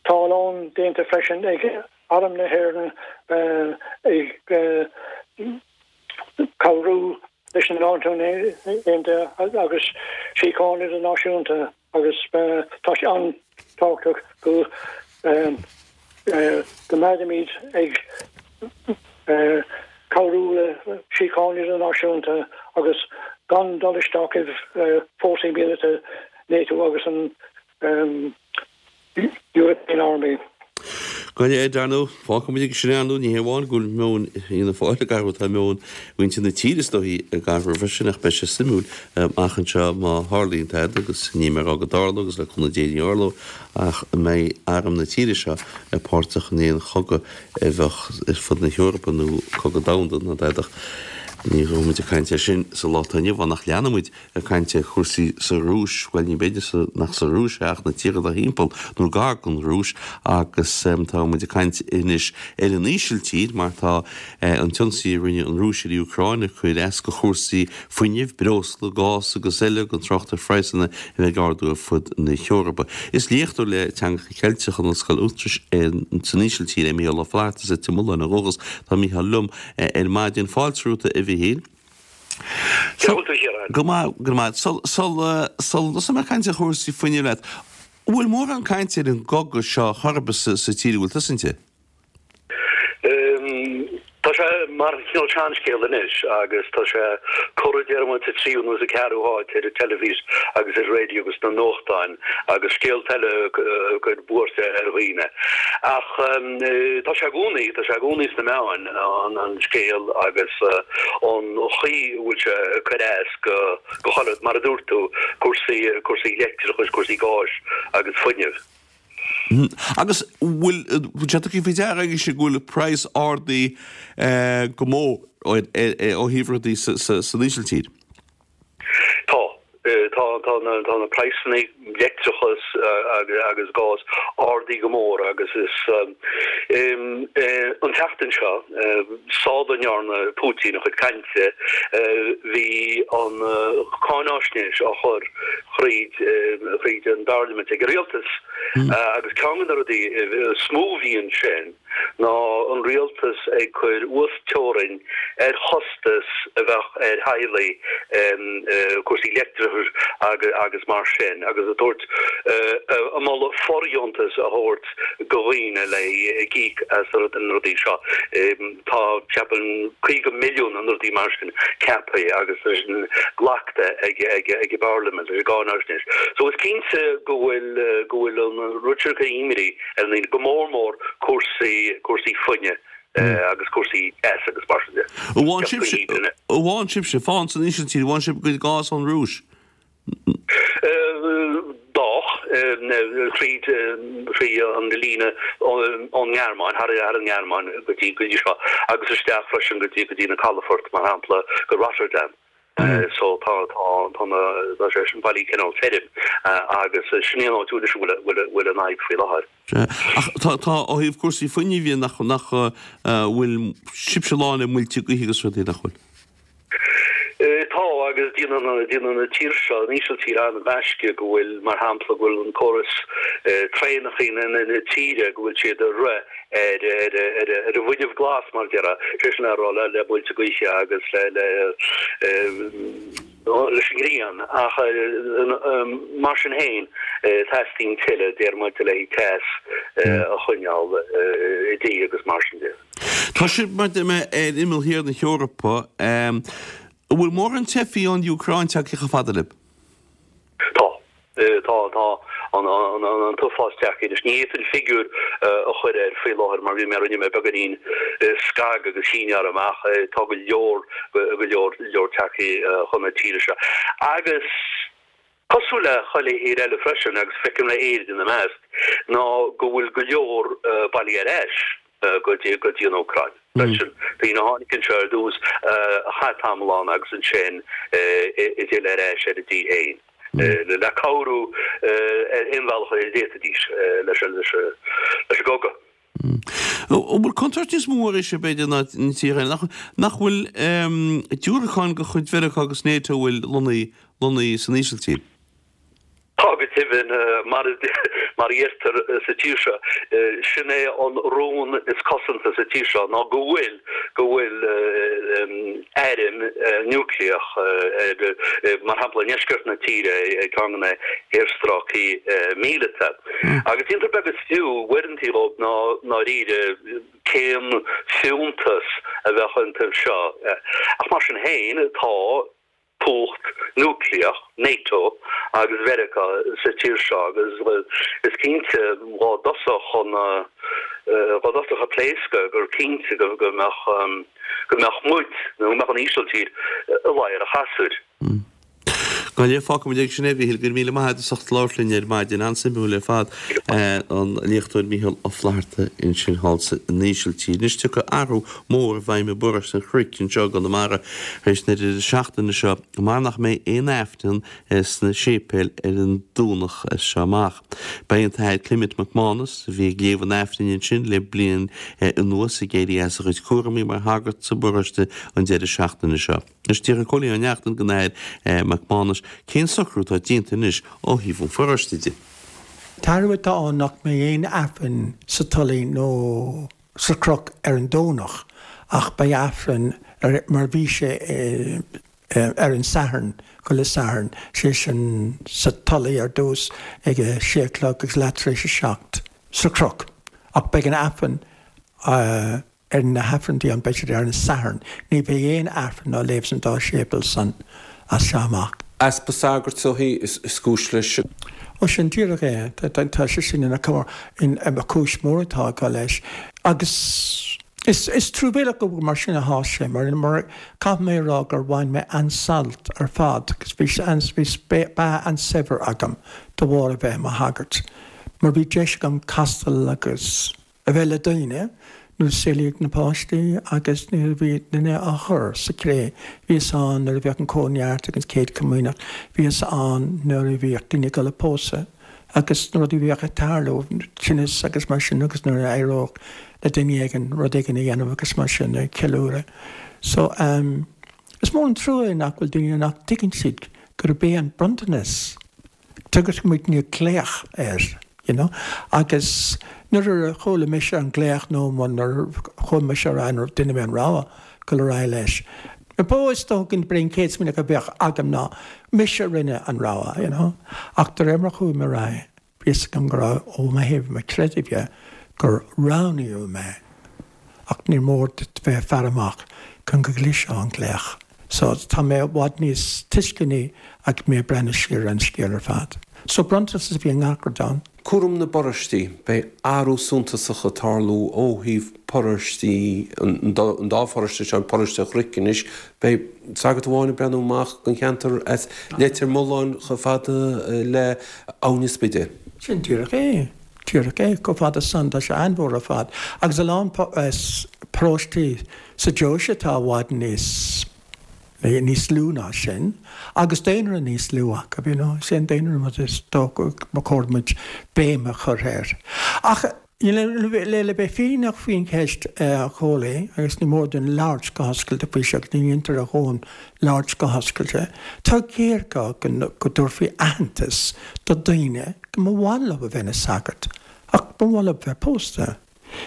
Speaker 11: tá a lán déanta freisin ag Arm na hÉireann ag cabhrú leis na Náisiúin Aontaithe agus síocháin idirnáisiúnta agus tá sé an-tábhachtach go go mbeimid ag cabhrú le síocháin idirnáisiúnta agus gan dul isteach i bhfórsaí míleata NATO agus an European Army.
Speaker 1: Go léir, dar ndóigh, fágfaidh muid aige sin é, ar ndóigh, ní hé amháin go bhfuil meon Fhianna Fáil ag athrú, tá meon mhuintir na tíre is dóichí ag athrú freisin, ach beidh sé suimiúil amach anseo má tharlaíonn tada, agus níl mé ag rá go dtarlóidh agus le cúnamh Dé ní tharlóidh, ach an mbeidh arm na tíre seo páirteach in aon chogadh a bheadh ar fud na hEorpa nó cogadh domhanda ná dada. Ní raibh muid ag caint air sin sa lá atá inniu ann ach leanfaidh muid ag caint ar chúrsaí sa Rúis, bhuel ní b'fhéidir nach sa Rúis é ach na tíortha dá thimpeall nó gar don Rúis agus tá muid ag caint anois ar an Ísiltír mar tá an t-ionsaí a rinne an Rúis ar an Úcráin ag cur as go chúrsaí fuinnimh, breosla, gás agus eile, gan trácht ar phraghsanna a bheith ag ardú ar fud na hEorpa. Is léachtóir le Teangacha Ceilteacha in Ollscoil Utrecht san Ísiltír é Mícheál Ó Flatharta as Leitir Mealláin ó dhúchas. Tá Mícheál liom ar maidin. Fáilte romhat a Mhichíl. Go maith, go maith. Sula dtosóidh mé ag caint ar chúrsaí fuinnimh leat, an bhfuil mórán cainte ar an gcogadh seo chor ar bith sa tír a bhfuil tusa inti?
Speaker 8: Tá sé mar chineál seanscéal anois agus tá sé curtha déarfaidh muid sa tríú nó sa cheathrú háit ar an teilifís agus ar an raidió agus sna nuachtáin agus scéalta eile ag cur buairt ar dhaoine. Ach tá sé i gcónaí, tá sé i gcónaí sna meáin an scéal agus an chaoi a bhfuil sé ag cur as go chuile, mar a dúirt tú, cúrsaí, cúrsaí leictreachais, cúrsaí gáis agus fuinnimh.
Speaker 1: Agus bhfuil sé tugtha faoi deara agaibhse go bhfuil praghas ardaithe go mór ó thaobh rudaí san Ísiltír?
Speaker 8: Tá. Tá, tá na, tá na praghsanna leictreachas agus gás ardaithe go mór agus is an tseachtain seo, sula ndearna Putin a chuid cainte, bhí an cáináisnéis á chur thríd thríd an bparlaimint ag an rialtas agus ceann de na rudaí is mó a bhí ansin ná an rialtas ag cur uasteorainn ar chostas a bheadh ar theaghlaigh cúrsaí leictreachais agus mar sin agus ag tabhairt ag moladh fordheontas a thabhairt go dhaoine le íoc as na rudaí seo. Tá, ceapaim, 50 milliún nó rudaí mar sin ceaptha agus tá sin glactha ag ag an bparlaimint leis an gcáináisnéis. So is cinnte go bhfuil go bhfuil an rud seo ag cur imní ar na daoine, go mór mór cúrsaí cúrsaí fuinnimh agus cúrsaí teas agus mar sin de.
Speaker 1: An bhfaigheann sibhse, an bhfaigheann sibhse, fán san Ísiltír, an bhfaigheann sibh bhur gcuid gás ón Rúis?
Speaker 8: D'fhách thríd thrí an líne ón nGearmáin, thar an nGearmáin go dtí go dtí seo, agus isteach freisin go dtí go dtí na calafoirt, mar shampla, go Rotterdam.
Speaker 12: So tá tá tá na tá sé sin bailí cineál tirim agus sin é an áit a bhfuil bhfuil bhfuil an fhadhb faoi láthair.
Speaker 1: Sea. Ach tá tá ó thaobh cúrsaí fuinnimh dhe nach nach bhfuil sibhse lán le muilte gaoithe agus rudaí nach bhfuil?
Speaker 12: Tá agus déanann déanann an tír seo an Ísiltír an-ghaisce go bhfuil mar shampla go bhfuil an córas traenacha na na tíre go bhfuil siad ag rith ar an bhfuinneamh glas, mar a déarfá, sé sin le rá le muilte gaoithe agus leis an ngrian, ach mar sin féin teastaíonn tuilleadh, deir muid, le teas a choinneáil i dtigh agus mar sin de.
Speaker 1: Tá sibh, mar deir mé, ar imeall thiar na hEorpa. An bhfuil mórán teifigh ón Úcráin tagtha chomh fada libh?
Speaker 12: Tá. Tá, tá an t-uafás tagtha anois. Ní fhéadfainn figiúr a chur air faoi láthair mar bhí mé, rinne mé beagáinín scag agus shíneáil amach. Tá go leor, go leor, leor tagtha chun na tíre seo. Agus cosúil le chuile thír eile freisin, agus feicim le Éirinn ina measc, ná go bhfuil go leor bailithe ar ais. go dtí go dtí an Úcráin freisin. Daoine a tháinig anseo ar dtús, a chaith tamall ann agus ansin a d'fhill ar ais ar a dtír féin le cabhrú ar aon bhealach a d'fhéadfaidís leis an leis an gcogadh.
Speaker 1: An bhfuil contúirt níos mó arís b'fhéidir ná na tíortha eile? Nach bhfuil diúracáin de chuid Mheiriceá agus NATO a bhfuil lonnaithe san Ísiltír?
Speaker 12: Tá go deimhin, mar a deirtear sa tír seo, sin é an rún is cosanta sa tír seo, ná go bhfuil, go bhfuil airm núicléach, mar shampla, i ndeisceart na tíre ag ceann de na haerstráicí míleata. Agus déantar beag is fiú, uaireanta dhóibh, ná ndáiríre cén fiúntas a bheadh iontu seo. Ach mar sin féin, tá. cumhacht núicléach NATO agus Mheiriceá sa tír seo agus is cinnte dhá dtosódh an dá dtosódh ag pléascadh gur cinnte go mbeadh go mbeadh muid nó go mbeadh an Ísiltír i ladhar an chasúir.
Speaker 1: Go leor, fágfaimid aige sin é, a Mhíchíl. Go raibh míle maith agat as ucht labhairt linn ar maidin. An-suimiúil ar fad. An léachtóir Mícheál Ó Flatharta ansin thall san Ísiltír. Anois tiocfaidh athrú mór i bhfeidhm i bparóiste an Chnoic anseo i gConamara tar éis na deireadh seachtaine seo mar nach mbeidh aon Aifreann sna séipéil ar an Domhnach as seo amach. Beidh an tAthair Clement Mac Mánais, a bhí ag léamh an Aifrinn ansin le bliain anuas, ag éirí as a chuid cúramaí mar shagart sa bparóiste an deireadh seachtaine seo. Anois d'fhiafraigh Cóilín Ó Neachtain den Athair Mac Mánais cén socrú atá déanta anois ó thaobh an pharóiste de.
Speaker 13: An t-athrú atá ann nach mbeidh aon Aifreann sa Tulaigh nó sa Chnoc ar an Domhnach ach beidh Aifreann ar mar bhí sé ar an Satharn, chuile Satharn, sé sin sa Tulaigh ar dtús ag a sé a chlog agus leath tar éis a 7 sa Chnoc ach beidh an Aifreann ar na hAifreann ann, beidh siad ar an Satharn. Ní bheidh aon Aifreann á léamh san dá séipéal san as seo amach.
Speaker 14: Easpa sagart is dóichí is cúis leis.
Speaker 13: Ó sin díreach é. Tá sé sin ina chúis mhór atá acu leis. Agus is truamhéalach go mar sin athá sé, mar caithfidh mé a rá gur bhain mé an-sult ar fad agus bhí beatha an-saibhir agam de bharr a bheith i mo shagart, mar bhí deis agam castal agus. a bheith le daoine nuair a saolaíodh na páistí agus nuair a bhí duine á chur sa chré. Bhíos ann nuair a bhíodh an Cóineart agus an Chéad Chomaoineach, bhíos ann nuair a bhíodh daoine ag dul ag pósadh agus na rudaí a bhíodh ag tarlú, tinneas agus mar sin agus nuair a éireodh le duine éigin rud éigin a dhéanamh agus mar sin, ag ceiliúradh. So, ehm, is mór an trua é nach bhfuil daoine nach dtuigeann siad gurb é an bronntanas Tugann muidne glaoch air, you know, agus nuair a chuala mise an glaoch nó nuair a chuaigh mise ar aghaidh, nuair a rinne mé an rogha dul ar aghaidh leis, ba is dócha gurb é an chéad smaoineamh a bheadh agam ná mise a rinne an rogha, you know. Ach de réir mar a chuaigh mé ar aghaidh, bhí fhios agam go raibh, ó thaobh mo chreidimh dhe, gur roghnaíodh mé. Ach ní mór duit bheith ag faire amach chun go gcloisfeá an glaoch. So, tá mé i bhfad níos tuisceanaí agus mé ag breathnú siar ar an scéal ar fad. So, bronntanas a bhí i ngach rud ann.
Speaker 14: Cúram na bparóistí, Beidh athrú suntasach ag tarlú ó thaobh paróistí, an dá pharóiste seo, paróiste an Chnoic anois, beidh sagart amháin ag breathnú amach don cheantar as Leitir Mealláin chomh fada le Abhainn an Spidéil.
Speaker 13: Sin díreach é. Díreach é, chomh fada san, tá sé an-mhór ar fad. Agus a lán paróistí sa deoise atá i bhfad níos. Níos lú ná sin, agus daonra níos lú acu, you know, is é an daonra an rud is dócha ba chóir muid béim a chur air. Ach le le bheith fírinneach faoin cheist, a Chóilí, agus ní mór dúinn labhairt go hoscailte faoi seo, agus ní dhéantar a dhóthain labhairt go hoscailte, tá géarghá go go dtabharfaí aitheantas do daoine go mba mhaith leo a bheith ina sagart ach ba mhaith leo bheith pósta.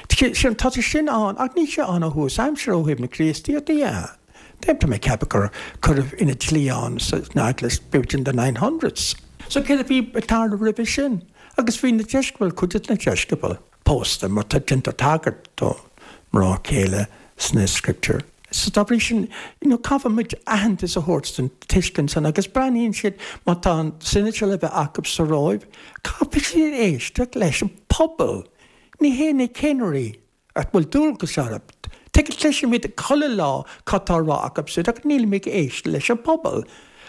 Speaker 13: Tá sé sin ann, ach níl sé ann ó thús aimsire ó thaobh na Críostaíochta dhe. Tá mé ag ceapadh gur cuireadh ina dlí ann san Eaglais b'fhéidir in the 900s. So céard a bhí ag tarlú roimhe sin? Agus bhí na deisceabail, cuid de na deisceabail, pósta mar tá déantar tagairt do mná céile sna scripture. So dá bhrí sin, you know, caithfidh muid aitheantas a thabhairt don tuiscint san agus breathnaíonn siad, má tá an Synod seo le bheith acu sa Róimh, caithfidh siad éisteacht leis an pobal. Ní hé na ceannairí a bhfuil dualgas orthu. Tuige, cloisimid chuile lá cad tá á rá acu siúd ach nílimid ag éisteacht leis an bpobal.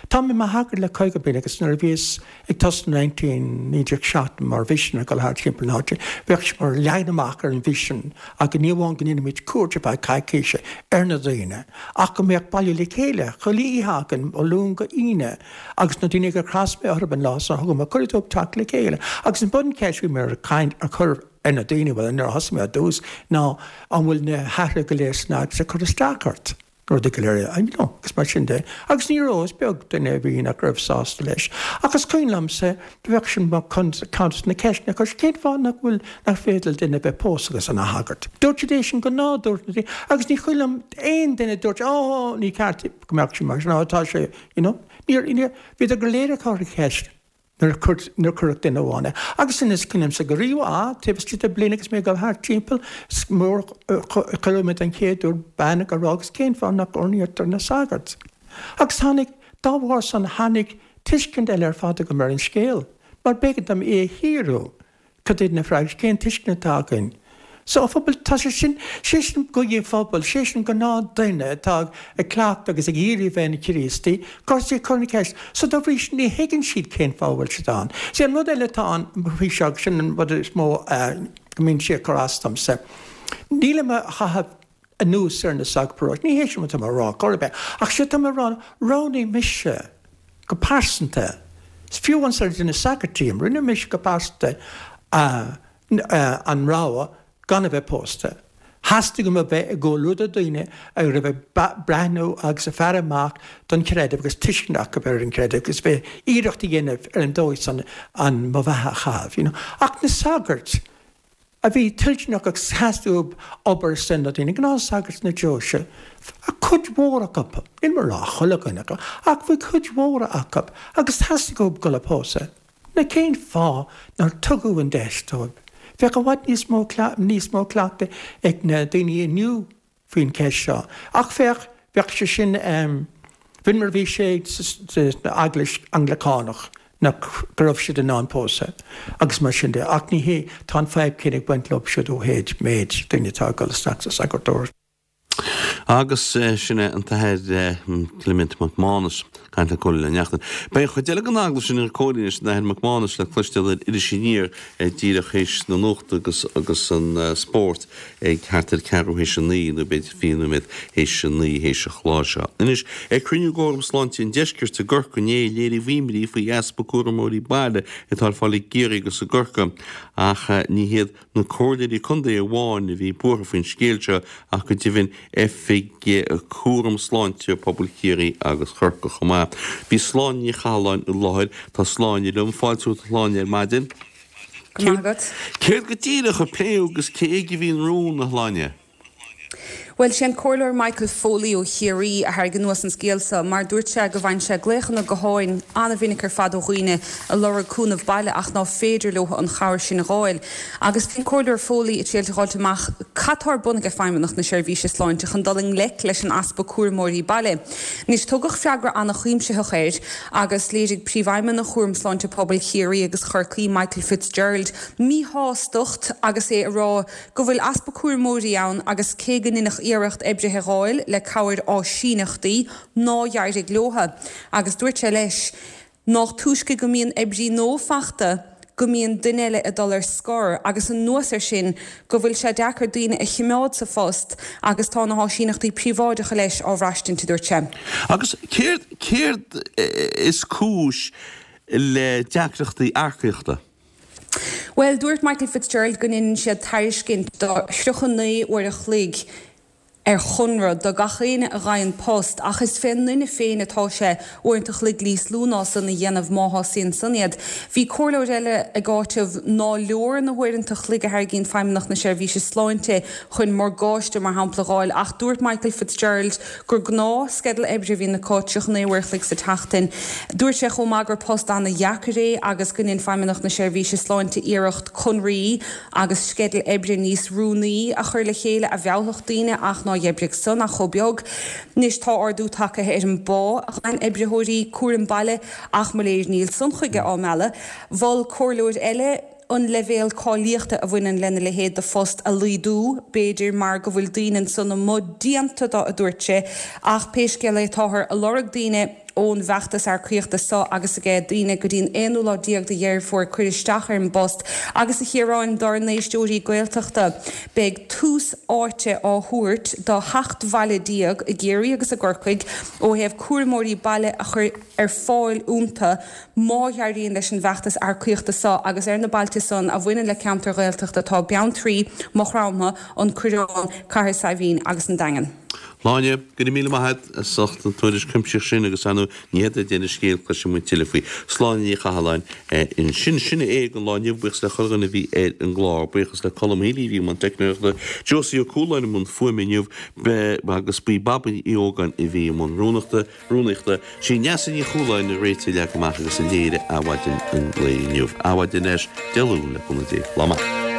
Speaker 13: Tá mé i mo shagart le 50 bliain agus nuair a bhíos ag tosnú 19 1970 mar mhisinéir ag dul thart timpeall na háite, bheadh sé mar leagan amach ar an mhisean againn ní amháin go ndéanfaimid cuairt ar feadh coicíse ar na daoine ach go mbeadh bailiú le chéile chuile oíche againn ó Luan go hAoine agus na daoine gur chas mé orthu an lá san thug mé cuireadh dóibh teacht le chéile. Agus an buncheist a bhí mé ar caint a chur ar na daoine, bhuel nuair a thosaigh mé ar dtús, ná an bhfuil na hathruithe go léir san eaglais ag cur isteach ort? Na rudaí go léir, you know, agus mar sin de. Agus ní raibh, is beag duine a bhí nach raibh sásta leis. Ach is cuimhin liomsa, bheadh sin mar ceann de na ceisteanna a chuir, cén fáth nach bhfuil, nach féidir le duine a bheith pósta agus ina shagart? Dúirt siad é sin go nádúrtha, agus ní cuimhin liom aon duine a dúirt, oh, ní ceart go mbeadh sé mar sin, oh, tá sé, you know. Níor, níor, bhíodar go léir ag cur an cheist nuair a chuir, nuair a cuireadh duine amháin é. Agus sin is cuimhin liomsa go rímhaith, taobh istigh de bliain agus mé ag dul thart timpeall, is mór a chuala mé den chéad uair bean ag rá agus cén fáth nach oirnítear na sagairt? Agus tháinig, dá bharr san, tháinig tuiscint eile ar fad agam ar an scéal, mar b'éigean dom é a shíorú. Cad iad na freagraí? Cén tuiscint atá againn sa phobal? Tá sé sin, sé sin guí an phobail, sé sin gnáthduine atá ag cleachtadh agus ag iarraidh a bheith ina Chríostaí, gur sé cur na ceist. So dá bhrí sin ní thuigeann siad cén fáth a bhfuil siad ann. Sé an rud eile atá ann faoi seo agus sin an rud is mó go mbíonn sé ag cur as domsa, nílim á chaitheamh anuas ar na sagairt paróiste. Ní hé sin atá mé a rá chor ar bith. Ach sé atá mé a rá, roghnaigh mise go pearsanta, fiú amháin sar duine sagairt díom, rinne mise go pearsanta an rogha gan a bheith pósta. Theastaigh uaim a bheith i gcomhluadar daoine a raibh ag breathnú agus ag faire amach don chreideamh agus tuiscint acu ar an chreideamh agus bheith iarracht a dhéanamh ar an dóigh san an mo bheatha a chaitheamh, you know. Ach na sagairt, a bhí toilteanach agus theastaigh uathu obair ar son na daoine, gnáthshagairt na deoise, cuid mhór acu, níl mé ag rá chuile dhuine acu, ach bhí cuid mhór acu agus theastaigh uathu dul a pósadh. Now cén fáth nár tugadh an deis dóibh? Bheadh i bhfad níos mó níos mó cleachtaidh ag na daoine inniu faoin cheist seo. Ach féach, bheadh sé sin, b'in mar a bhí sé san Eaglais Anglacánach, nach, go raibh siad in ann pósadh agus mar sin de. Ach ní hé, tá an fadhb céanna ag baint leo siúd ó thaobh méid daoine atá ag dul isteach sa sagartóireacht.
Speaker 1: Agus sin é an tAthair Clement Mac Mánais. Caint le Cóilín Ó Neachtain. Beidh an chuid eile den agallamh sin ar Cóilín leis an Athair Mac Mánais le cloisteáil ar Iris Aniar díreach théis na nuachta agus agus an spórt ag thart ar ceathrú théis a naoi nó b'fhéidir 20 nóiméad théis a naoi théis an chláir seo. Anois, ag cruinniú d'Fhóram Sláinte an Deiscirt i gCorcaigh inné, léiríodh imní faoi easpa cúramóirí baile atá ar fáil i gCiarraí agus i gCorcaigh ach ní hiad na comhairleoirí contae amháin a bhí buartha faoin scéal seo ach go deimhin Oifig Cúram Sláinte Pobail Chiarraí agus Chorcaí chomh maith. Bhí Sláine Ní Chathalláin i láthair. Tá Sláine liom. Fáilte romhat a Shláine ar maidin.
Speaker 15: Go maith agat.
Speaker 1: Céard go díreach a pléadh agus cé ag a bhí an rún, a Shláine?
Speaker 15: Bhuel, sé an Comhairleoir Michael Foley ó Chiarraí a thairg anuas an scéal seo mar dúirt sé go bhfaigheann sé glaochanna gutháin an-mhinic ar fad ó dhaoine a lorg cúnamh baile ach ná féidir leo an chabhair sin a dh'fháil. Agus bhí an Comhairleoir Foley ag triail a dh'fháilt amach cad tá ar bun ag Feidhmeannacht na Seirbhíse Sláinte chun dul i ngleic leis an easpa cúramóirí baile. Anois, tugadh freagra an-chuimsitheach air agus léirigh Príomhfheidhmeannach Chúram Sláinte Pobail Chiarraí agus Chorcaí, Michael Fitzgerald, míshástacht agus é ag rá go bhfuil easpa cúramóirí ann agus cé go ndeineadh iarracht oibrithe a dh'fháil le cabhair áisíneachtaí, ná d'éirigh leotha. Agus dúirt sé leis, nách túisce go mbíonn oibrí nua fachta. go mbíonn duine eile ag dul ar scor agus anuas air sin go bhfuil sé deacair daoine a chimeád sa phost agus tá na háisíneachtaí príobháideacha leis á bhraistint, a dúirt sé.
Speaker 1: Agus céard, céard is cúis le deacrachtaí earcaíochta?
Speaker 15: Bhuel, dúirt Michael Fitzgerald go ndeineann siad tairiscint do 39 uair a chloig ar chonradh do gach éinne a fhaigheann post ach is fén nduine féin atá sé uaireanta a chloig níos lú ná san a dhéanamh má shásaíonn san iad. Bhí comhairleoir eile ag áiteamh ná leor na huaireanta a chloig a thairgíonn Feidhmeannacht na Seirbhíse Sláinte chun morgáiste mar shampla a dh'fháil ach dúirt Michael Fitzgerald gur gnáth sceideal oibre a bhíonn acu, 39 uair a chloig sa tseachtain. Dúirt sé chomh maith gur post ana-dheacair é agus go ndein Feidhmeannacht na Seirbhíse Sláinte iarracht conraí agus sceideal oibre níos rúnaí a chur le chéile a mheallfadh daoine ach ná dh'oibrigh san ach chomh beag. Anois tá ardú tagtha ar an bpá a fhaigheann oibritheoirí cúraim baile ach mo léir níl san chuige á mealladh. Mhol comhairleoir eile an leibhéal cáilíochta a bhaineann lena leithéid de phost a laghdú, b'fhéidir mar go bhfuil daoine ansan amuigh déanta do a dúirt sé, ach pé scéal é táthar a lorg daoine. ón bhfeachtas earcaíochta so agus aige daoine go dtí'n aonú lá déag de Dheireadh Fómhair cuir isteach ar an bpost agus a Chiaráin dár n-éisteoirí Gaeltachta beidh tús áite á thabhairt do sheacht bhaile déag i gCiarraí agus i gCorcaigh ó thaobh cúramóirí baile a chur ar fáil iontu má dh'éiríonn leis an bhfeachtas earcaíochta so agus ar na bailte san a bhaineann le ceantair Ghaeltachta tá Beanntraí, Maigh Chromtha, An Coireán, Cathair Saidhbhín agus an Daingean.
Speaker 1: Sláine, go raibh míle maith agat as ucht an tuairisc chuimsitheach sin agus ar ndóigh ní hé deireadh an scéil, cloisfidh muid tuilleadh faoi. Sláine Ní Chathalláin ansin. Sin é don lá inniu, buíochas le chuile dhuine a bhí ar an gclár, buíochas le Colm Healy a bhí i mbun teicneoireachta, Josie Ó Cualáin i mbun fuaime inniu agus b'í Babaí Uí Ógáin a bhí i mbun rúnachta, rúnaíochta. Sí Neasa Ní Chualáin a réitigh, a leag amach agus a léirigh Adhmhaidin an lae inniu. Adhmhaidin ar ais Dé Luain le cúnamh Dé. Lá maith.